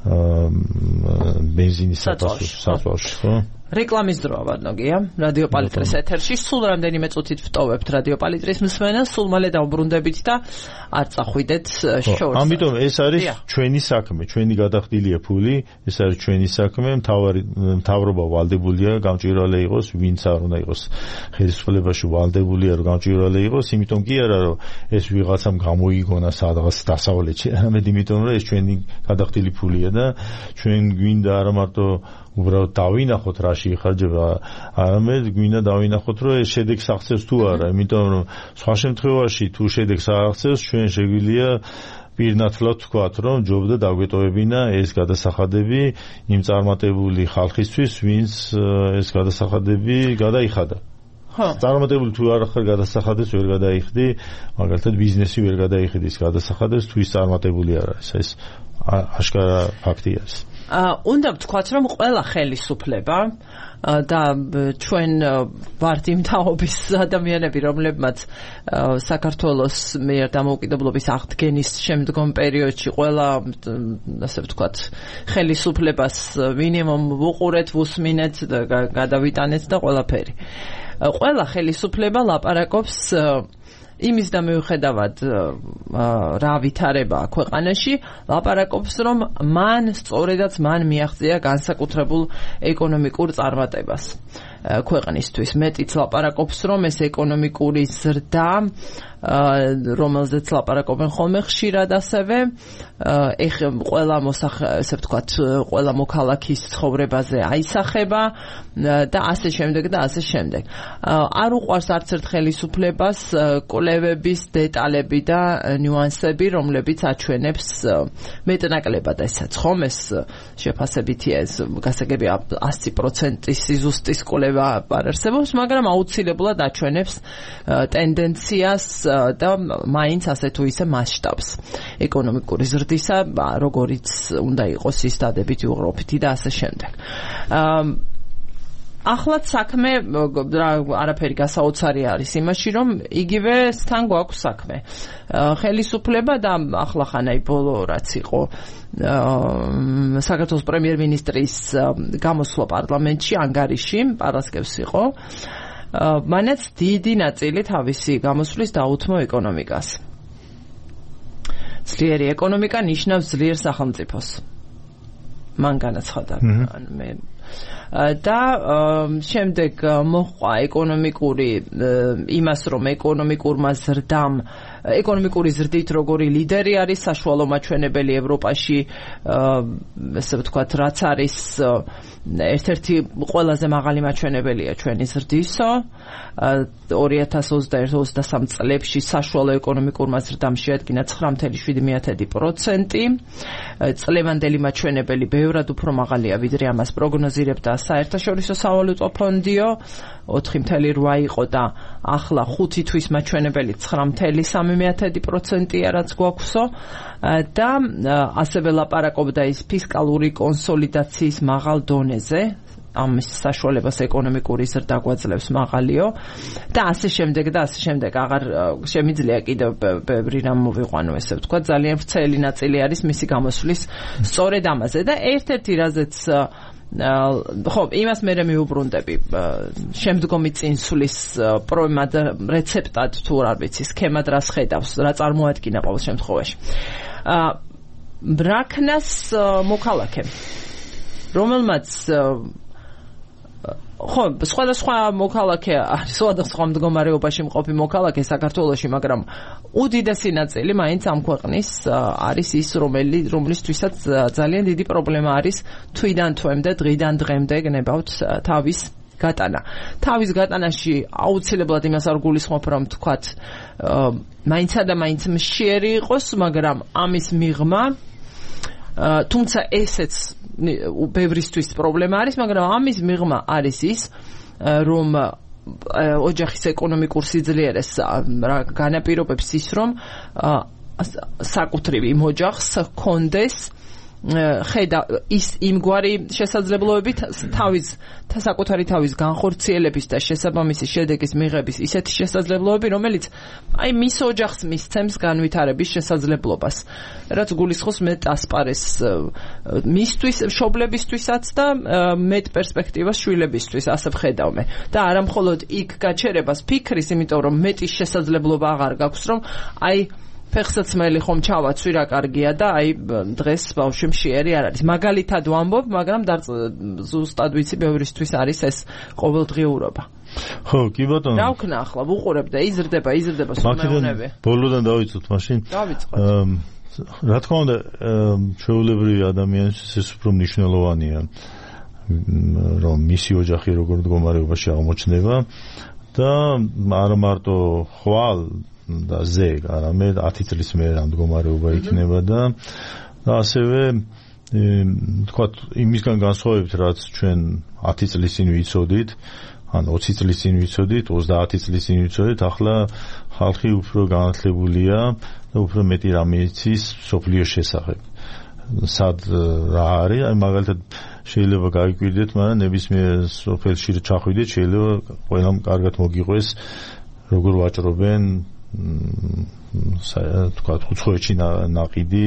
ბენზინის საფასურში, ხო? რეკლამის დროა ვარნოგია რადიო პალიტრის ეთერში სულ რამდენიმე წუთით ვტოვებთ რადიო პალიტრის მსმენელს სულ მალე დავბრუნდებით და არ წახვიდეთ შორს ამიტომ ეს არის ჩვენი საქმე ჩვენი გადახდილია ფული ეს არის ჩვენი საქმე მთავარი მთავრობა ვალდებულია გამჭვირვალე იყოს ვინც არ უნდა იყოს ხელისუფლებაში ვალდებულია რომ გამჭვირვალე იყოს იმიტომ კი არა რომ ეს ვიღაცამ გამოიგონა სადღაც დასავლეთში არამედ იმიტომ რომ ეს ჩვენი გადახდილი ფულია და ჩვენ გვინდა არა მარტო უბრალოდ დავინახოთ რაში იხარჯება არამედ გვინდა დავინახოთ რომ ეს შედეგს აღწევს თუ არა იმიტომ რომ სხვა შემთხვევაში თუ შედეგს არ აღწევს ჩვენ შეგვიძლია პირნათლად ვთქვათ რომ ჯობდა დაგვეტოვებინა ეს გადასახადები იმ წარმატებული ხალხისთვის ვინც ეს გადასახადები გადაიხადა წარმატებული თუ არ ხარ გადასახადებს ვერ გადაიხდი მაგალითად ბიზნესი ვერ გადაიხდის გადასახადებს თუ ის წარმატებული არ არის ეს აშკარა ფაქტია ეს უნდა ვთქვათ რომ ყველა ხელისუფლება და ჩვენ ვართ იმ თაობის ადამიანები რომლებმაც საქართველოს მიერ დამოუკიდებლობის აღდგენის შემდგომ პერიოდში ყველა ასე ვთქვათ ხელისუფლებას მინიმუმ ვუყურეთ ვუსმინეთ და გადავიტანეთ და ყველაფერი ყველა ხელისუფლება ლაპარაკობს იმის და მიუხედავად რა ვითარებაა ქვეყანაში ლაპარაკობს რომ მან სწორედაც მან მიაღწია განსაკუთრებულ ეკონომიკურ წარმატებას ქვეყნისთვის მეტიც ლაპარაკობს რომ ეს ეკონომიკური ზრდა რომელზეც ლაპარაკობენ ხოლმე ხშირად ასევე ეხ ყველა მოსახ ესე ვთქვათ ყველა მოქალაქის ცხოვრებაზე აისახება და ასე შემდეგ და ასე შემდეგ არ უყვარს არც ერთ ხელისუფლებას კვლევების დეტალები და ნიუანსები რომლებიც აჩვენებს მეტნაკლებად ესაც ხომ ეს შეფასებითია ეს გასაგები ასი პროცენტის სიზუსტის კვლევა არ არსებობს მაგრამ აუცილებლად აჩვენებს ტენდენციას და მაინც ასე თუ ისე მასშტაბს ეკონომიკური ზრდისა როგორიც უნდა იყოს ის დადებითი უღროფითი და ასე შემდეგ ახლაც საქმე არაფერი გასაოცარი არის იმაში რომ იგივე თან გვაქვს საქმე ხელისუფლება და ახლახანაი ბოლო რაც იყო საქართველოს პრემიერ-მინისტრის გამოსვლა პარლამენტში ანგარიში პარასკევს იყო მანაც დიდი ნაწილი თავისი გამოსვლის დაუთმო ეკონომიკას ძლიერი ეკონომიკა ნიშნავს ძლიერ სახელმწიფოს მან განაცხადა მე და შემდეგ მოჰყვა ეკონომიკური იმას რომ ეკონომიკურმა ზრდამ ეკონომიკური ზრდით როგორი ლიდერი არის საშუალო მაჩვენებელი ევროპაში ესე ვთქვათ რაც არის ერთ-ერთი ყველაზე მაღალი მაჩვენებელია ჩვენი ზრდისო ორი ათას ოცდაერთი ოცდასამი წლებში საშუალო ეკონომიკურმა ზრდამ შეადგინა ცხრა ათეული შვიდი პროცენტი წლევანდელი მაჩვენებელი ბევრად უფრო მაღალია ვიდრე ამას პროგნოზირებდა საერთაშორისო სავალუტო ფონდიო ოთხი ათეული რვა იყო და ახლა ხუთი თვის მაჩვენებელი ცხრა ათეული სამი პროცენტია რაც გვაქვსო და ასევე ლაპარაკობდა ის ფისკალური კონსოლიდაციის მაღალ დონეზე ამის საშუალებას ეკონომიკური ზრდა გვაძლევს მაღალიო და ასე შემდეგ და ასე შემდეგ აღარ შემიძლია კიდევ ბევრი რამ მოვიყვანო ესე ვთქვა ძალიან ვრცელი ნაწილი არის მისი გამოსვლის სწორედ ამაზე და ერთ-ერთი რაზეც ხო იმას მე მეუბრუნდები შემდგომი წინსვლის პრობლემად რეცეპტად თუ არ ვიცი სქემად რას ხედავს რა წარმოადგინა ყოველ შემთხვევაში ბრაქნას მოქალაქე რომელმაც ხო სხვადასხვა მოქალაქე არის სხვადასხვა მდგომარეობაში მყოფი მოქალაქე საქართველოში მაგრამ უდიდესი ნაწილი მაინც ამ ქვეყნის არის ის რომელი რომლისთვისაც ძალიან დიდი პრობლემა არის თვიდან თვემდე დღიდან დღემდე გნებავთ თავის გატანა თავის გატანაში აუცილებლად იმას არ გულისხმობ რომ თქვათ მაინცა და მაინც მშიერი იყოს მაგრამ ამის მიღმა თუმცა ესეც ბევრისთვის პრობლემა არის მაგრამ ამის მიღმა არის ის რომ ოჯახის ეკონომიკურ სიძლიერეს განაპირობებს ის რომ საკუთრივ იმ ოჯახს ჰქონდეს ხედა ის იმგვარი შესაძლებლობებით თავის საკუთარი თავის განხორციელების და შესაბამისი შედეგის მიღების ისეთი შესაძლებლობები, რომელიც აი მის ოჯახს მისცემს განვითარების შესაძლებლობას, რაც გულისხმობს მეტ ასპარეს მისთვის, მშობლებისთვისაც და მეტ პერსპექტივას შვილებისთვის, ასე ვხედავ მე. და არა მხოლოდ იქ გაჩერებას ფიქრის, იმიტომ რომ მეტის შესაძლებლობა აღარ გაქვს, რომ აი ფეხსაცმელი ხომ ჩავაცვი რა კარგია და აი დღეს ბავშვი მშიერი არ არის. მაგალითად ვამბობ, მაგრამ ზუსტად ვიცი ბევრისთვის არის ეს ყოველდღიურობა. ხო, კი ბატონო. რა ვქნა ახლა, ვუყურებ და იზრდება, იზრდება სულმეუნები. ბოლოდან დავიწყოთ მაშინ. დავიწყოთ. რა თქმა უნდა, ჩვეულებრივი ადამიანისთვის ეს უფრო მნიშვნელოვანია, რომ მისი ოჯახი როგორ მდგომარეობაში აღმოჩნდება და არა მარტო ხვალ და ზეგ, არამედ ათი წლის მერე ამ მდგომარეობა იქნება და ასევე თქვა იმისგან განსხვავებით, რაც ჩვენ ათი წლის წინ ვიცოდით, ან ოცი წლის წინ ვიცოდით, ოცდაათი წლის წინ ვიცოდით, ახლა ხალხი უფრო განათლებულია და უფრო მეტი რამე იცის სოფლიოს შესახებ. სად რა არის, აი მაგალითად შეიძლება გაიკვირდეთ, მაგრამ ნებისმიერ სოფელში ჩახვიდეთ, შეიძლება ყველამ კარგად მოგიყვეს როგორ ვაჭრობენ თქვა უცხოეთში ნაყიდი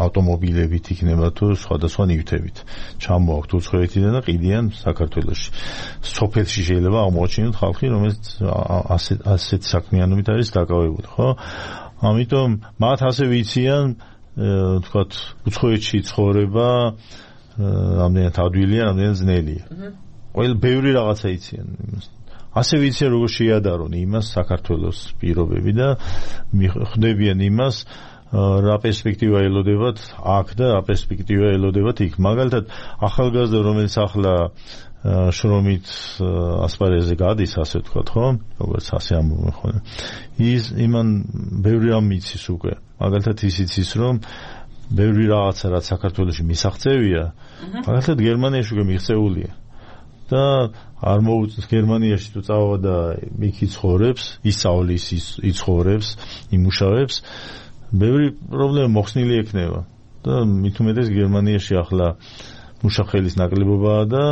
ავტომობილებით იქნება თუ სხვადასხვა ნივთებით ჩამოაქვთ უცხოეთიდან და ყიდიან საქართველოში. სოფელში შეიძლება აღმოაჩინოთ ხალხი, რომელიც ასეთ ასეთ საქმიანობით არის დაკავებული, ხო? ამიტომ მათ ასე ვიციან თქვა უცხოეთში ცხოვრება რამდენად ადვილია, რამდენად ძნელია. ყველა ბევრი რაღაცა იციან იმას. ასე ვიციან როგორ შეიადარონ იმას საქართველოს პირობები და ხვდებიან იმას რა პერსპექტივა ელოდებათ აქ და რა პერსპექტივა ელოდებათ იქ. მაგალითად ახალგაზრდა რომელიც ახლა შრომით ასპარეზზე გადის, ასე ვთქვათ, ხო? როგორც ასე ამბობენ ხოლმე. ის იმან ბევრი რამ იცის უკვე. მაგალითად ის იცის რომ ბევრი რაღაცა რაც საქართველოში მისაღწევია, მაგალითად გერმანიაში უკვე მიღწეულია. და არ მოუწევს გერმანიაში თუ წავა და იქ იცხოვრებს, ისწავლის, იცხოვრებს, იმუშავებს, ბევრი პრობლემა მოხსნილი ექნება. და მით უმეტეს გერმანიაში ახლა მუშახელის ნაკლებობაა და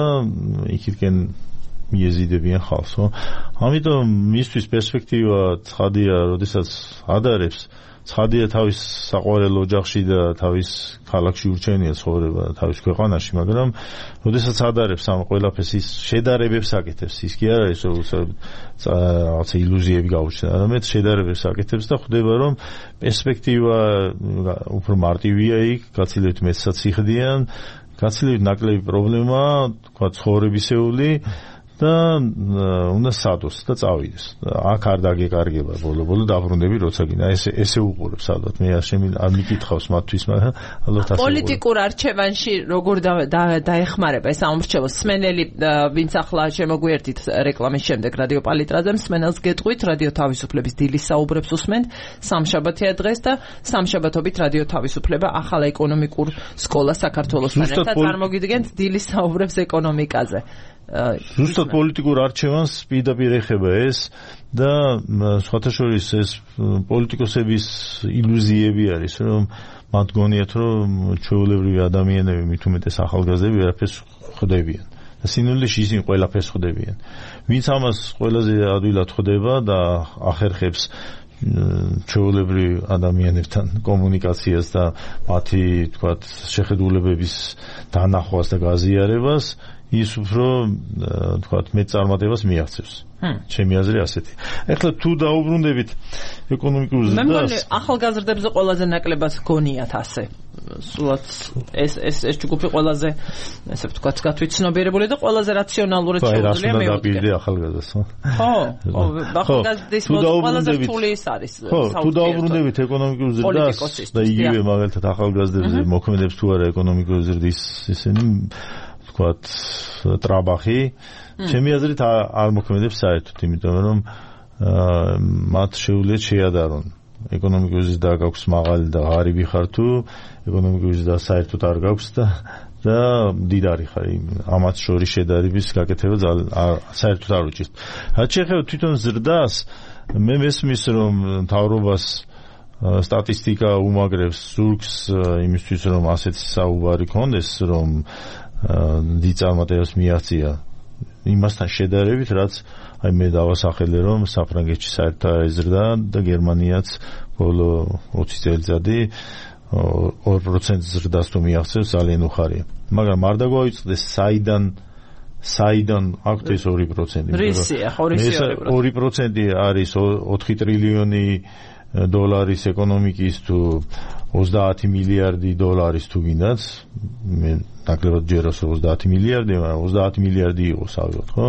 იქითკენ მიეზიდებიან ხალხს, ხო? ამიტომ მისთვის პერსპექტივა ცხადია, როდესაც ადარებს, ცხადია თავის საყვარელ ოჯახში და თავის ქალაქში ურჩევნია ცხოვრება თავის ქვეყანაში, მაგრამ როდესაც ადარებს ამ ყველაფერს, ის შედარებებს აკეთებს, ის კი არ არის რაღაცა ილუზიები გაუჩნდა, არამედ შედარებებს აკეთებს და ხვდება რომ პერსპექტივა უფრო მარტივია იქ, გაცილებით მეტსაც იხდიან, გაცილებით ნაკლები პრობლემაა, თქვა ცხოვრებისეული და უნდა სადოს და წავიდეს. აქ არ დაგეკარგება ბოლო-ბოლო დაბრუნდები როცა გინდა. ესე ესე უყურებს ალბათ. მე არ შემი არ მიკითხავს მათთვის, მაგრამ ალბათ ასე. პოლიტიკურ არჩევანში როგორ დაეხმარება ეს ამორჩევა? სმენელი, ვინც ახლა შემოგვიერთით რეკლამის შემდეგ რადიო პალიტრაზე, სმენელს გეტყვით, რადიო თავისუფლების დილის საუბრებს უსმენთ. სამშაბათია დღეს და სამშაბათობით რადიო თავისუფლება ახალ ეკონომიკურ სკოლას საქართველოსთან ერთად წარმოგიდგენთ დილის საუბრებს ეკონომიკაზე. ზუსტად პოლიტიკურ არჩევანს პირდაპირ ეხება ეს და სხვათა შორის ეს პოლიტიკოსების ილუზიები არის, რომ მათ გონიათ, რომ ჩვეულებრივი ადამიანები, მით უმეტეს ახალგაზრდები ვერაფერს ხვდებიან. და სინამდვილეში ისინი ყველაფერს ხვდებიან. ვინც ამას ყველაზე ადვილად ხვდება და ახერხებს ჩვეულებრივ ადამიანებთან კომუნიკაციას და მათი, თქვათ, შეხედულებების დანახვას და გაზიარებას, ის უფრო თქვათ მეტ წარმატებას მიაღწევს. ჩემი აზრი ასეთი. ეხლა თუ დაუბრუნდებით ეკონომიკურ ზრდას, მე მგონი ახალგაზრდებზე ყველაზე ნაკლებად გონიათ ასე. სულაც ეს ეს ეს ჯგუფი ყველაზე ესე ვთქვათ გათვითცნობიერებული და ყველაზე რაციონალურად შეუძლია მეუდგე. დააპირდი ახალგაზრდას, ხო? ხო, ახალგაზრდის ყველაზე რთული ის არის. ხო, თუ დაუბრუნდებით ეკონომიკურ ზრდას და იგივე მაგალითად ახალგაზრდებზე მოქმედებს თუ არა ეკონომიკური ზრდის ისინი ვთქვათ ტრაბახი, ჩემი აზრით არ მოქმედებს საერთოდ, იმიტომ რომ მათ შეუძლიათ შეადარონ ეკონომიკური ზრდა გაქვს მაღალი და ღარიბი ხარ თუ ეკონომიკური ზრდა საერთოდ არ გაქვს და და დიდარი ხარ, ამათ შორის შედარების გაკეთება საერთოდ არ უჭირთ. რაც შეეხება თვითონ ზრდას, მე მესმის რომ მთავრობას სტატისტიკა უმაგრებს ზურგს იმისთვის რომ ასეთი საუბარი ქონდეს რომ დიდ წარმატებას მიაღწია იმასთან შედარებით რაც აი მე დავასახელე რომ საფრანგეთში საერთო ეზრდა და გერმანიაც ბოლო ოცი წელიწადი ორ პროცენტ ზრდას თუ მიაღწევს ძალიან უხარია მაგრამ არ დაგვაიწყდეს საიდან საიდან აქვთ ეს ორი პროცენტი რისია ორი პროცენტი არის ოთხი ტრილიონი დოლარის ეკონომიკის თუ ოცდაათი მილიარდი დოლარის თუ გინდათ მე ნაკლებად ჯეროს ოცდაათი მილიარდი მაგრამ ოცდაათი მილიარდი იყოს ავიღოთ ხო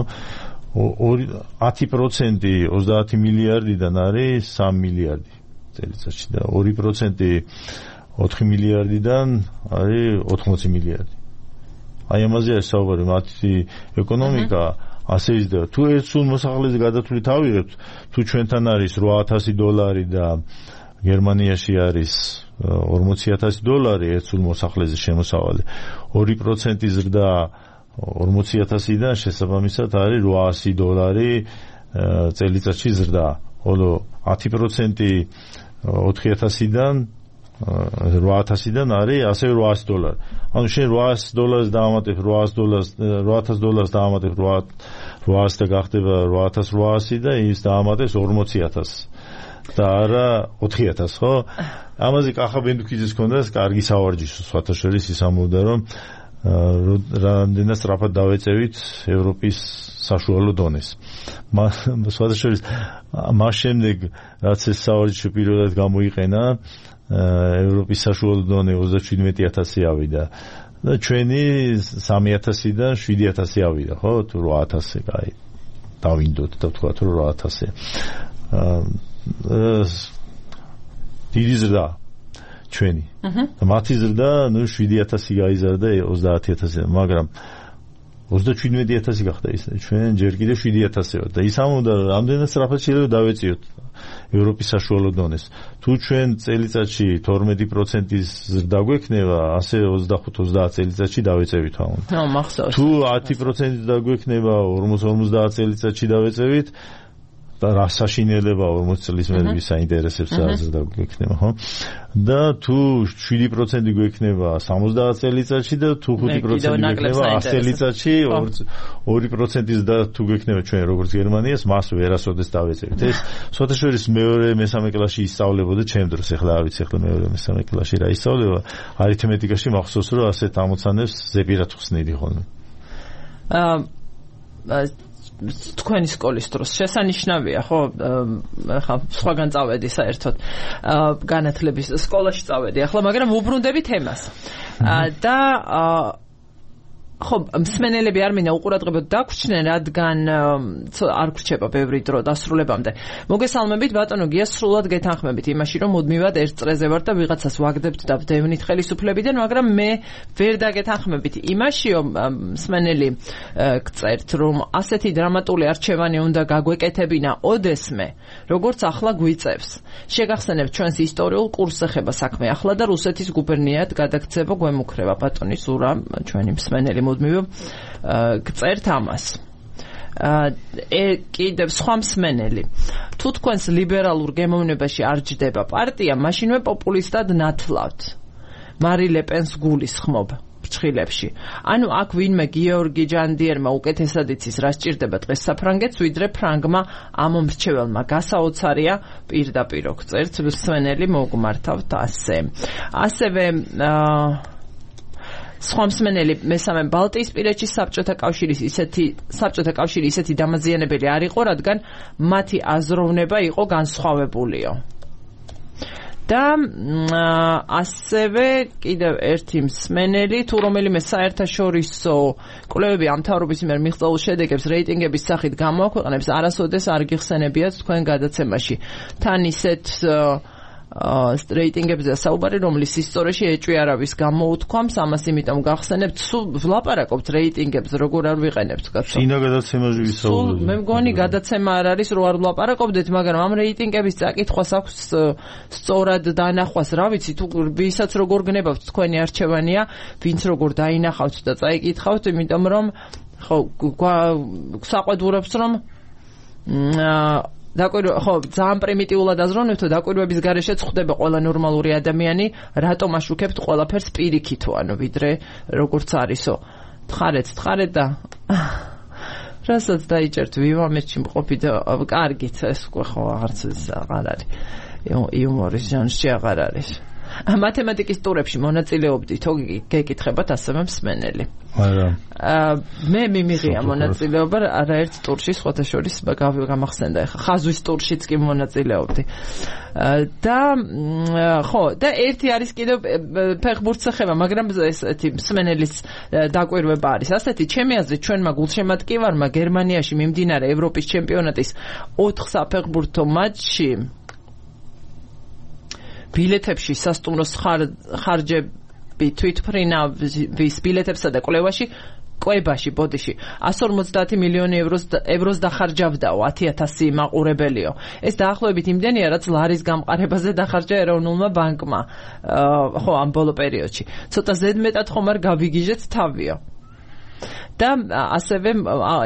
ათი პროცენტი ოცდაათი მილიარდიდან არის სამი მილიარდი წელიწადში და ორი პროცენტი ოთხი მილიარდიდან არის ოთხმოცი მილიარდი აი ამაზე საუბარი მათი ეკონომიკა ასე იზრდება თუ ერთ სულ მოსახლეზე გადათვლით ავიღებთ თუ ჩვენთან არის რვა ათასი დოლარი და გერმანიაში არის ორმოცი ათასი დოლარი ერთ სულ მოსახლეზე შემოსავალი ორი პროცენტი ზრდა ორმოცი ათასიდან შესაბამისად არის რვაასი დოლარი წელიწადში ზრდა ხოლო ათი პროცენტი ოთხი ათასიდან რვა ათასიდან არის ასე რვაასი დოლარი. ანუ შენ რვაასი დოლარს დაამატებ რვაასი დოლარს რვა ათას დოლარს დაამატებ რვაასი და გახდება რვა ათას რვაასი და ის დაამატებს ორმოცი ათასს. და არა ოთხი ათას, ხო? ამაზე კახა ბენდუქიძეს ქონდა კარგი სავარჯიშო, სხვათა შორის ის ამბობდა რომ რამდენად სწრაფად დავეწევით ევროპის საშუალო დონეს. სხვათა შორის მას შემდეგ რაც ეს სავარჯიშო პირველად გამოიყენა ევროპის საშუალო დონე ოცდაჩვიდმეტი ათასი ავიდა და ჩვენი სამი ათასიდან შვიდი ათასი ავიდა, ხო? თუ რვა ათასი, აი დავინდოთ და ვთქვათ რომ რვა ათასი. დიდი ზრდა ჩვენი. და მათი ზრდა, ნუ შვიდი ათასი გაიზარდა ოცდაათი ათასიდან, მაგრამ ოცდაჩვიდმეტი ათასი გახდა ის. ჩვენ ჯერ კიდევ შვიდი ათასი ვართ და ის ამბობდა რომ რამდენად სწრაფად შეიძლება დავეწიოთ ევროპის საშუალო დონეს. თუ ჩვენ წელიწადში თორმეტი პროცენტის ზრდა გვექნება, ასე ოცდახუთ ოცდაათ წელიწადში დავეწევით ამან. ნუ მახსოვს. თუ ათი პროცენტი დაგვექნება ორმოც ორმოცდაათ წელიწადში დავეწევით და რა საშინელება ორმოც წლის მერე საინტერესებს ზრდა გვექნება, ხო? და თუ შვიდი პროცენტი გვექნება სამოცდაათ წელიწადში და თუ ხუთი პროცენტი გვექნება ას წელიწადში, ორი პროცენტის და თუ გვექნება ჩვენ როგორც გერმანიას, მას ვერასოდეს დავეწევით. ეს სხვათა შორის მეორე მესამე კლასში ისწავლებოდა ჩემ დროს, ეხლა არ ვიცი ეხლა მეორე მესამე კლასში რა ისწავლება, არითმეტიკაში მახსოვს რომ ასეთ ამოცანებს ზეპირად ხსნიდი ხოლმე. აა თქვენი სკოლის დროს შესანიშნავია, ხო? ახლა სხვაგან წავედი საერთოდ განათლების სკოლაში წავედი ახლა, მაგრამ ვუბრუნდები თემას. და ხო, მსმენელები არ მინდა უყურადღებოდ დაგვრჩნენ, რადგან არ გრჩება ბევრი დრო დასრულებამდე. მოგესალმებით, ბატონო გია, სრულად გეთანხმებით იმაში, რომ მუდმივად ერთ წრეზე ვარ და ვიღაცას ვაგდებთ და ვდევნით ხელისუფლებიდან, მაგრამ მე ვერ დაგეთანხმებით იმაში, რომ მსმენელი გწერთ, რომ ასეთი დრამატული არჩევანი უნდა გაგვეკეთებინა ოდესმე, როგორც ახლა გვიწევს. შეგახსენებთ ჩვენს ისტორიულ კურსს ეხება საქმე ახლა და რუსეთის გუბერნიად გადაქცევა გვემუქრება. ბატონი ზურა, ჩვენი მსმენელი მუდმივ გწერთ ამას. ე კიდევ სხვა მსმენელი. თუ თქვენს ლიბერალურ გემოვნებაში არ ჯდება პარტია, მაშინვე პოპულისტად ნათლავთ. მარი ლეპენს გულისხმობ ფრჩხილებში. ანუ აქ ვინმე გიორგი ჯანდიერმა უკეთესად იცის რა სჭირდება დღეს საფრანგეთს, ვიდრე ფრანგმა ამ მრჩეველმა. გასაოცარია პირდაპირ გწერთ მსმენელი, მოგმართავთ ასე. ასევე აა სხვა მსმენელი მესამე ბალტიისპირეთში საბჭოთა კავშირის ისეთი საბჭოთა კავშირი ისეთი დამაზიანებელი არ იყო, რადგან მათი აზროვნება იყო განსხვავებულიო. და ასევე კიდევ ერთი მსმენელი, თუ რომელიმე საერთაშორისო კვლევები ამ მთავრობის მიერ მიღწეულ შედეგებს რეიტინგების სახით გამოაქვეყნებს, არასოდეს არ გიხსენებიათ თქვენ გადაცემაში. თან ისეთ რეიტინგებზე საუბარი, რომლის ისტორიაში ეჭვი არავის გამოუთქვამს, ამას იმიტომ გახსენებთ, სულ ვლაპარაკობთ რეიტინგებზე, როგორ არ ვიყენებთ, კაცო. წინა გადაცემაში ვისაუბრეთ. მე მგონი გადაცემა არ არის, რომ არ ვლაპარაკობდეთ, მაგრამ ამ რეიტინგების წაკითხვას აქვს სწორად დანახვას, რა ვიცი, თუ ვისაც როგორ გნებავთ თქვენი არჩევანია, ვინც როგორ დაინახავთ და წაიკითხავთ, იმიტომ რომ ხო, საყვედურებს რომ დაკვირვა ხო ძალიან პრიმიტიულად აზროვნებთ დაკვირვების გარეშეც ხდება ყველა ნორმალური ადამიანი რატომ აშუქებთ ყველაფერს პირიქითო ანუ ვიდრე როგორც არისო თხარეთ თხარეთ და რასაც დაიჭერთ ვივამეთში მყოფი და კარგით ეს უკვე ხო აღარც აღარ არის იუმორის ჟანრში აღარ არის მათემატიკის ტურებში მონაწილეობდი თუ გეკითხებათ ასევე მსმენელი არა მე მიმიღია მონაწილეობა არაერთ ტურში სხვათა შორის გამახსენდა ახლა ხაზვის ტურშიც კი მონაწილეობდი და ხო და ერთი არის კიდევ ფეხბურთს ეხება მაგრამ ესეთი მსმენელის დაკვირვება არის ასეთი ჩემი აზრით ჩვენმა გულშემატკივარმა გერმანიაში მიმდინარე ევროპის ჩემპიონატის ოთხ საფეხბურთო მატჩში ბილეთებში სასტუმროს ხარჯები თვითმფრინავის ბილეთებსა და კვლევაში კვებაში ბოდიში εκατს ორმოცდაათი მილიონი ევროს ევროს დახარჯავდაო ათი ათასი მაყურებელიო ეს დაახლოებით იმდენია რაც ლარის გამყარებაზე დახარჯა ეროვნულმა ბანკმა ხო ამ ბოლო პერიოდში ცოტა ზედმეტად ხომ არ გავიგიჟეთ თავიო და ასევე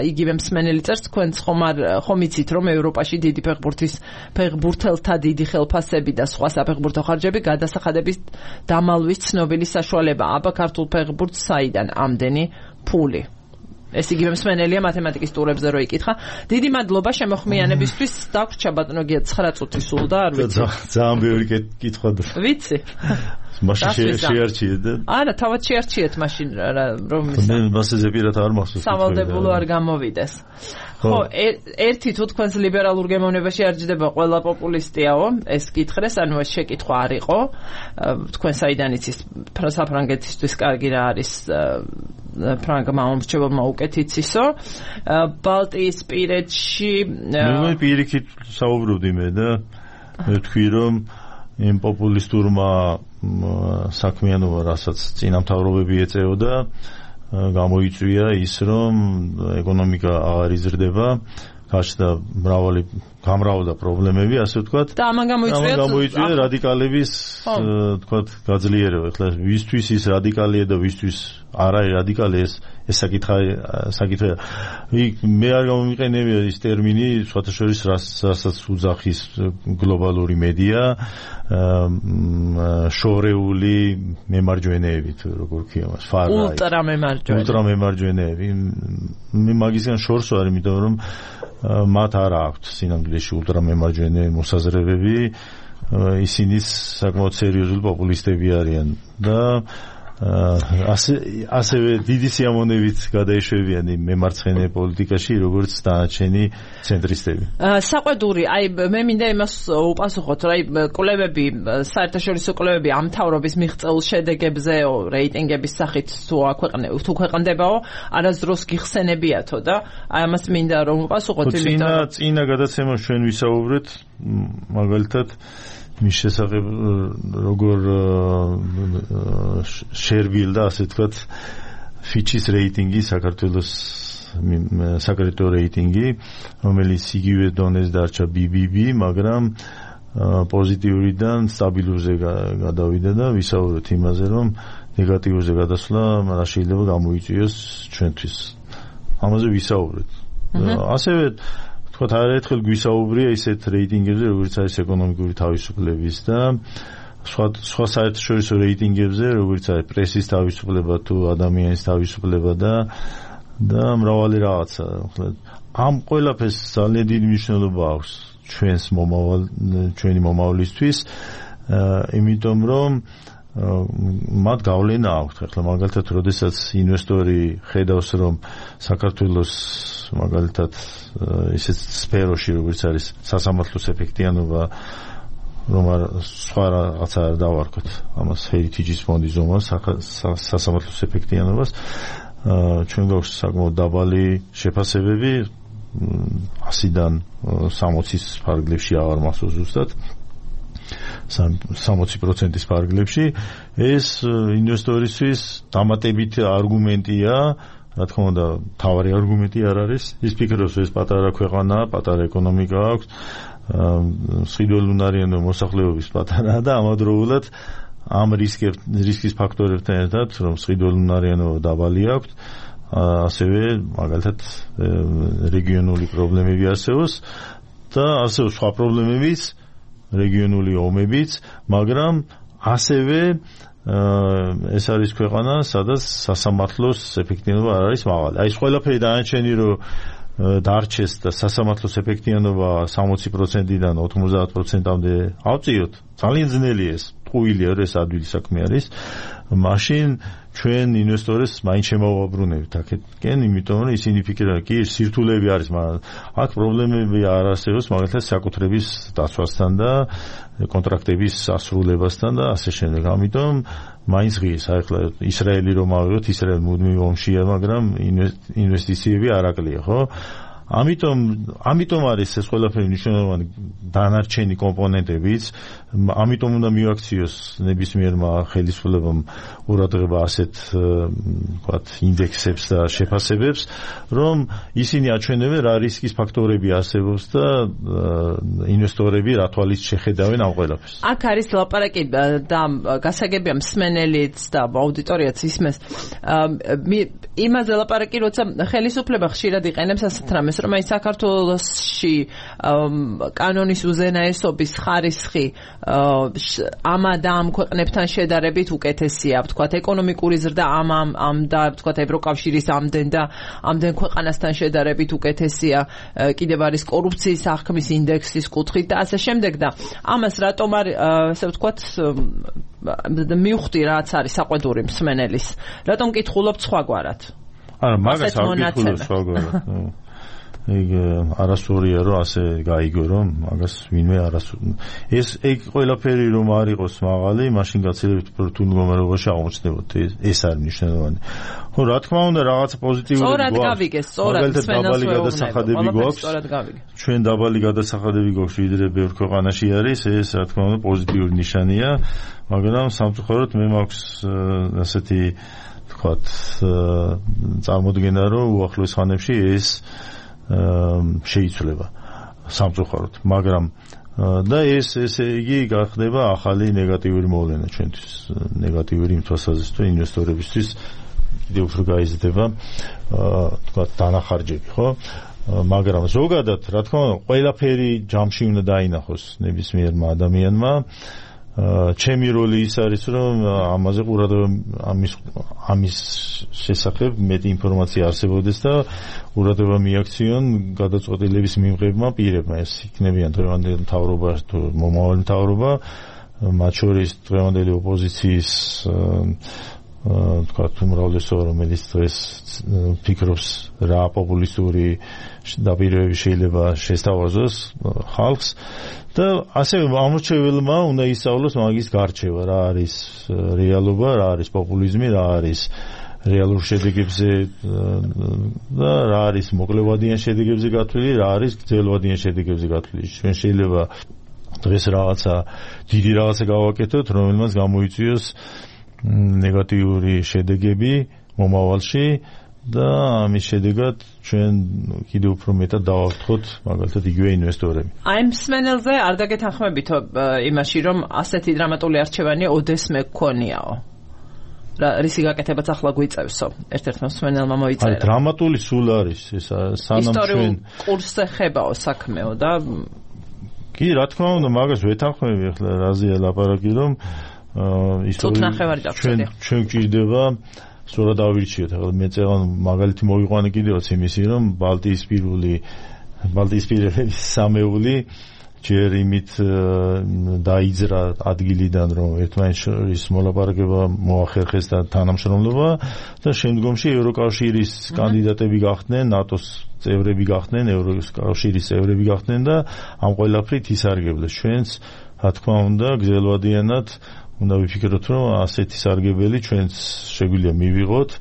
იგივე მსმენელი წერს თქვენც ხომ არ ხომ იცით რომ ევროპაში დიდი ფეხბურთის ფეხბურთელთა დიდი ხელფასები და სხვა საფეხბურთო ხარჯები გადასახადების დამალვის ცნობილი საშუალებაა აბა ქართულ ფეხბურთს საიდან ამდენი ფული ეს იგივე მსმენელია მათემატიკის ტურებზე რო იკითხა დიდი მადლობა შემოხმიანებისთვის დაგვრჩა ბატონო გია ცხრა წუთი სულ და არ ვიცი ძალიან ბევრი კითხვა ვიცი მაშინ შეარჩიეთ და არა თავად შეარჩიეთ მაშინ რომ მე მასზე პირად არ მახსოვს სავალდებულო არ გამოვიდეს ხო ერთი თუ თქვენს ლიბერალურ გემოვნებაში არ ჯდება ყველა პოპულისტიაო ეს კითხრეს ანუ ეს შეკითხვა არ იყო თქვენ საიდან იცის საფრანგეთისთვის კარგი რა არის ფრანგმა მომრჩეველმა უკეთ იცისო ბალტიისპირეთში მე პირიქით საუბრობდი მე და მე თქვი რომ იმ პოპულისტურმა საქმიანობა რასაც წინამთავრობები ეწეოდა გამოიწვია ის რომ ეკონომიკა აღარ იზრდება გაჩნდა მრავალი გამრავლდა პრობლემები ასე ვთქვათ და ამან გამოიწვია გამოიწვია რადიკალების ვთქვათ გაძლიერება ეხლა ვისთვის ის რადიკალია და ვისთვის არა რადიკალი ეს ეს საკითხი საკითხია მე არ გამომიყენებია ის ტერმინი სხვათა შორის რასაც უძახის გლობალური მედია შორეული მემარჯვენეები თუ როგორ ქვია მას ფარ-რაიტ ულტრა მემარჯვენე ულტრა მემარჯვენეები მე მაგისგან შორს ვარ იმიტომ რომ მათ არ აქვთ სინამდვილეში ულტრა მემარჯვენე მოსაზრებები ისინი საკმაოდ სერიოზული პოპულისტები არიან და ასე ასევე დიდი სიამოვნებით გადაეშვებიან იმ მემარცხენე პოლიტიკაში როგორც დანარჩენი ცენტრისტები. საყვედური, აი მე მინდა იმას უპასუხოთ, რა კვლევები, საერთაშორისო კვლევები ამ თავრობის მიღწეულ შედეგებზე რეიტინგების სახით თუ აქვეყნებო, თუ ქვეყნდებაო, არასდროს გიხსენებიათო და აი ამას მინდა რომ უპასუხოთ, იმიტომ რომ წინა გადაცემაში ჩვენ ვისაუბრეთ მაგალითად მის შესახებ როგორ შერბილდა ასე ვთქვათ ფიჩის რეიტინგი საქართველოს საკრედიტო რეიტინგი რომელიც იგივე დონეს დარჩა ბი ბი ბი მაგრამ პოზიტიურიდან სტაბილურზე გადავიდა და ვისაუბრეთ იმაზე რომ ნეგატიურზე გადასვლა რა შეიძლება გამოიწვიოს ჩვენთვის ამაზე ვისაუბრეთ ასევე თქვათ არაერთხელ გვისაუბრია ისეთ რეიტინგებზე როგორც არის ეკონომიკური თავისუფლების და სხვა სხვა საერთაშორისო რეიტინგებზე როგორც არის პრესის თავისუფლება თუ ადამიანის თავისუფლება და და მრავალი რაღაცა ამ ყველაფერს ძალიან დიდი მნიშვნელობა აქვს ჩვენს მომავალ ჩვენი მომავლისთვის იმიტომ რომ მათ გავლენა აქვს ახლა მაგალითად როდესაც ინვესტორი ხედავს რომ საქართველოს მაგალითად ისეთ სფეროში როგორც არის სასამართლოს ეფექტიანობა რომ არ სხვა რაღაცა არ დავარქოთ ამას ჰერიტეჯის ფონდის ზომას სასამართლოს ეფექტიანობას ჩვენ გვაქვს საკმაოდ დაბალი შეფასებები ასიდან სამოცის ფარგლებში აღარ მახსოვს ზუსტად სამოცი პროცენტის ფარგლებში ეს ინვესტორისთვის დამატებით არგუმენტია რა თქმა უნდა თავარი არგუმენტი არ არის ის ფიქრობს ეს პატარა ქვეყანაა პატარა ეკონომიკა აქვს მსხვილ უნარიანო მოსახლეობის პატარაა და ამავდროულად ამ რისკის ფაქტორებთან ერთად რომ მსხვილ უნარიანობა დაბალი აქვს ასევე მაგალითად რეგიონული პრობლემები არსებობს და ასევე სხვა პრობლემებიც, რეგიონული ომებიც, მაგრამ ასევე ეს არის ქვეყანა, სადაც სასამართლოს ეფექტიანობა არ არის მაღალი. აი ეს ყველაფერი დაანჩენი, რომ დარჩეს და სასამართლოს ეფექტიანობა სამოცი პროცენტიდან ოთხმოცდაათ პროცენტამდე ავწიოთ. ძალიან ძნელია ეს, ტყუილია, ეს ადვილი საქმე არის. მაშინ ჩვენ ინვესტორებს მაინც შემოვაბრუნებთ აქეთკენ, იმიტომ რომ ისინი ფიქრობენ, კი სირთულეები არის, მაგრამ აქ პრობლემები არ არსებობს, მაგალითად საკუთრების დაცვასთან და კონტრაქტების ასრულებასთან და ასე შემდეგ. ამიტომ მაინც ღირს, აი ახლა ისრაელი რომ ავიღოთ, ისრაელი მუდმივ ომშია, მაგრამ ინვესტიციები არ აკლია, ხო? ამიტომ ამიტომ არის ეს ყველაფერი მნიშვნელოვანი დანარჩენი კომპონენტებიც, ამიტომ უნდა მივაქციოს ნებისმიერმა ხელისუფლებამ ყურადღება ასეთ ვთქვათ ინდექსებს და შეფასებებს, რომ ისინი აჩვენებენ რა რისკის ფაქტორები არსებობს და ინვესტორები რა თვალით შეხედავენ ამ ყველაფერს. აქ არის ლაპარაკი და გასაგებია მსმენელიც და აუდიტორიაც ისმენს იმაზე ლაპარაკი, როცა ხელისუფლება ხშირად იყენებს ასეთ რამეს, რომ აი საქართველოში კანონის უზენაესობის ხარისხი ამ და ამ ქვეყნებთან შედარებით უკეთესია, ვთქვათ, ეკონომიკური ზრდა ამ ამ ამ და ვთქვათ ევროკავშირის ამდენ და ამდენ ქვეყანასთან შედარებით უკეთესია, კიდევ არის კორუფციის აღქმის ინდექსის კუთხით და ასე შემდეგ და ამას რატომ არ ასე ვთქვათ მივხვდი რაც არის საყვედური მსმენელის, რატომ კითხულობთ სხვაგვარად? არა, მაგას არ კითხულობ სხვაგვარად. ეგ არასწორია რომ ასე გაიგო რომ მაგას ვინმე არასწორი ეს ეგ ყველაფერი რომ არ იყოს მაღალი, მაშინ გაცილებით რთულ მდგომარეობაში აღმოჩნდებოდ. ეს არის მნიშვნელოვანი. ხო, რა თქმა უნდა, რაღაც პოზიტიური გვაქვს. სწორად გავიგეს, სწორად დაბალი გადასახადები გვაქვს. ჩვენ დაბალი გადასახადები გვაქვს, ვიდრე ბევრ ქვეყანაში არის, ეს რა თქმა უნდა პოზიტიური ნიშანია, მაგრამ სამწუხაროდ მე მაქვს ასეთი ვთქვათ წარმოდგენა, რომ უახლოეს ხანებში ეს შეიცვლება სამწუხაროდ, მაგრამ და ეს ესე იგი გახდება ახალი ნეგატიური მოვლენა ჩვენთვის, ნეგატიური იმ თვალსაზრისით, რომ ინვესტორებისთვის კიდევ უფრო გაიზრდება თქვათ დანახარჯები, ხო? მაგრამ ზოგადად, რა თქმა უნდა, ყველაფერი ჯამში უნდა დაინახოს ნებისმიერმა ადამიანმა. ჩემი როლი ის არის, რომ ამაზე ყურადღება ამის ამის შესახებ მეტი ინფორმაცია არსებობდეს და ყურადღება მიაქციონ გადაწყვეტილების მიღებმა პირებმა. ეს იქნებიან დღევანდელი მთავრობა თუ მომავალი მთავრობა, მათ შორის დღევანდელი ოპოზიციის თქვათ უმრავლესობა, რომელიც დღეს ფიქრობს რა პოპულისტური დაპირებები შეიძლება შესთავაზოს ხალხს და ასევე ამორჩეველმა უნდა ისწავლოს მაგის გარჩევა, რა არის რეალობა, რა არის პოპულიზმი, რა არის რეალურ შედეგებზე და რა არის მოკლევადიან შედეგებზე გათვლილი, რა არის გრძელვადიან შედეგებზე გათვლილი. ჩვენ შეიძლება დღეს რაღაცა დიდი რაღაცა გავაკეთოთ, რომელმაც გამოიწვიოს ნეგატიური შედეგები მომავალში და ამის შედეგად ჩვენ კიდევ უფრო მეტად დავაფრთხოთ მაგალითად იგივე ინვესტორები. აი მსმენელზე არ დაგეთანხმებით იმაში, რომ ასეთი დრამატული არჩევანი ოდესმე გქონიაო. რა რისი გაკეთებაც ახლა გვიწევსო. ერთ-ერთმა მსმენელმა მოიწერა. აი დრამატული სულ არის ეს სანამ ჩვენ კურსზე ხებაო საქმეო და კი რა თქმა უნდა მაგას ვეთანხმები ახლა რაზეა ლაპარაკი, რომ ჩვენ ჩვენ გვჭირდება სწორად ავირჩიოთ. ახლა მე წელან მაგალითი მოვიყვანე კიდევაც იმისი, რომ ბალტიისპირული ბალტიისპირელი სამეული ჯერ იმით დაიძრა ადგილიდან, რომ ერთმანეთს შორის მოლაპარაკება მოახერხეს და თანამშრომლობა და შემდგომში ევროკავშირის კანდიდატები გახდნენ, ნატოს წევრები გახდნენ, ევროკავშირის წევრები გახდნენ და ამ ყველაფრით ისარგებლეს. ჩვენც რა თქმა უნდა გრძელვადიანად უნდა ვიფიქროთ, რომ ასეთი სარგებელი ჩვენც შეგვიძლია მივიღოთ,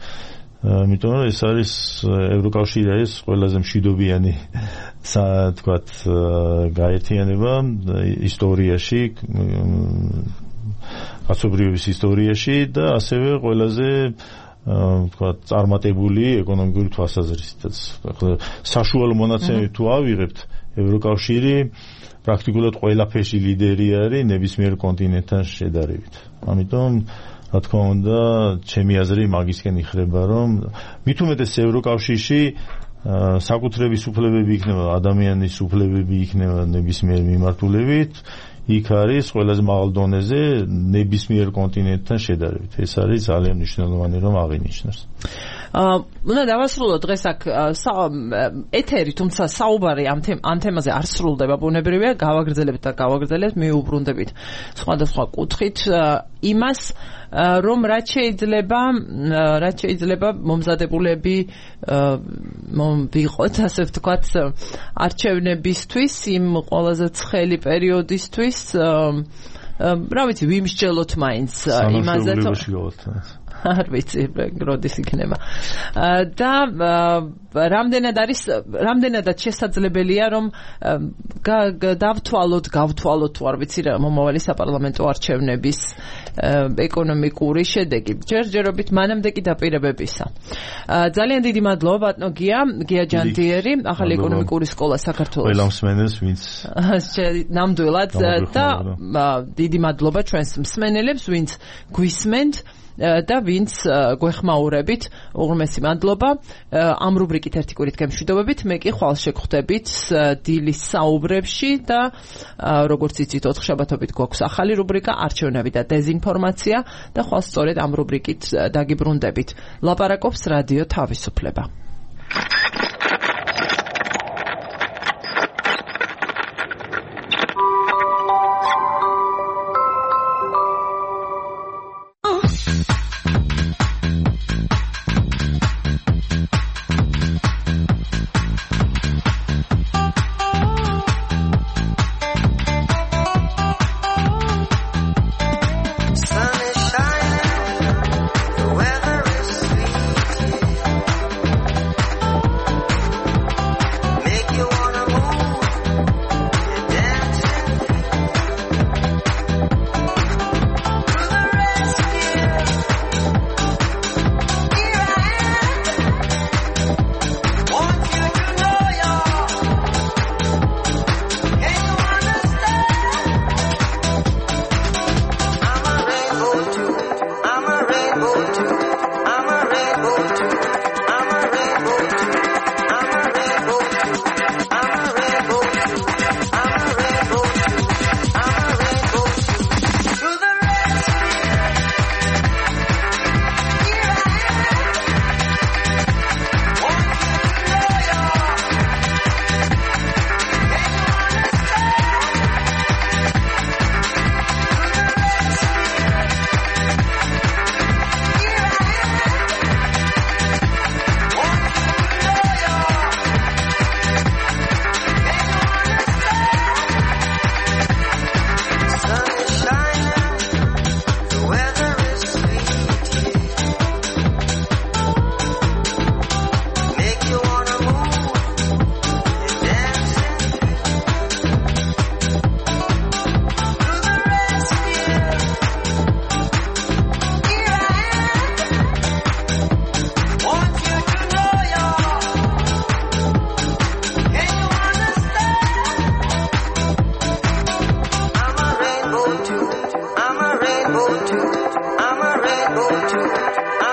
იმიტომ რომ ეს არის ევროკავშირი არის ყველაზე მშვიდობიანი თქვათ გაერთიანება ისტორიაში, კაცობრიობის ისტორიაში და ასევე ყველაზე თქვათ წარმატებული ეკონომიკური თვალსაზრისითაც. საშუალო მონაცემები თუ ავიღებთ, ევროკავშირი პრაქტიკულად ყველაფერში ლიდერი არის ნებისმიერ კონტინენტთან შედარებით. ამიტომ რა თქმა უნდა, ჩემი აზრი მაგისკენ იხრება, რომ მით უმეტეს ევროკავშირში საკუთრების უფლებები იქნება, ადამიანის უფლებები იქნება ნებისმიერ მიმართულებით, იქ არის ყველაზე მაღალ დონეზე ნებისმიერ კონტინენტთან შედარებით. ეს არის ძალიან მნიშვნელოვანი რომ აღინიშნოს. აა უნდა დავასრულოთ დღეს აქ ეთერი, თუმცა საუბარი ამ ამ თემაზე არ სრულდება, ბუნებრივია, გავაგრძელებთ და გავაგრძელებთ, მიუბრუნდებით სხვადასხვა კუთხით იმას, რომ რაც შეიძლება, რაც შეიძლება მომზადებულები ვიყოთ, ასე ვთქვათ, არჩევნებისთვის, იმ ყველაზე ცხელი პერიოდისთვის, რა ვიცი, ვიმსჯელოთ მაინც იმაზე, არ ვიცი, როდის იქნება. და რამდენად არის, რამდენადაც შესაძლებელია, რომ დავთვალოთ, გავთვალოთ, თუ არ ვიცი რა, მომავალი საპარლამენტო არჩევნების ეკონომიკური შედეგი. ჯერჯერობით მანამდე კი დაპირებებისა. ძალიან დიდი მადლობა ბატონო გია, გია ჯანდიერი, ახალი ეკონომიკური სკოლა საქართველოს. ყველა მსმენელს, ვინც ნამდვილად და დიდი მადლობა ჩვენს მსმენელებს, ვინც გვისმენთ და ვინც გვეხმაურებით, უღრმესი მადლობა. ამ რუბრიკით ერთი კვირით გემშვიდობებით, მე კი ხვალ შეგხვდებით დილის საუბრებში და როგორც იცით, ოთხშაბათობით გვაქვს ახალი რუბრიკა არჩევნები და დეზინფორმაცია და ხვალ სწორედ ამ რუბრიკით დაგიბრუნდებით. ლაპარაკობს რადიო თავისუფლება. I'm a rainbow too. I'm a rainbow too.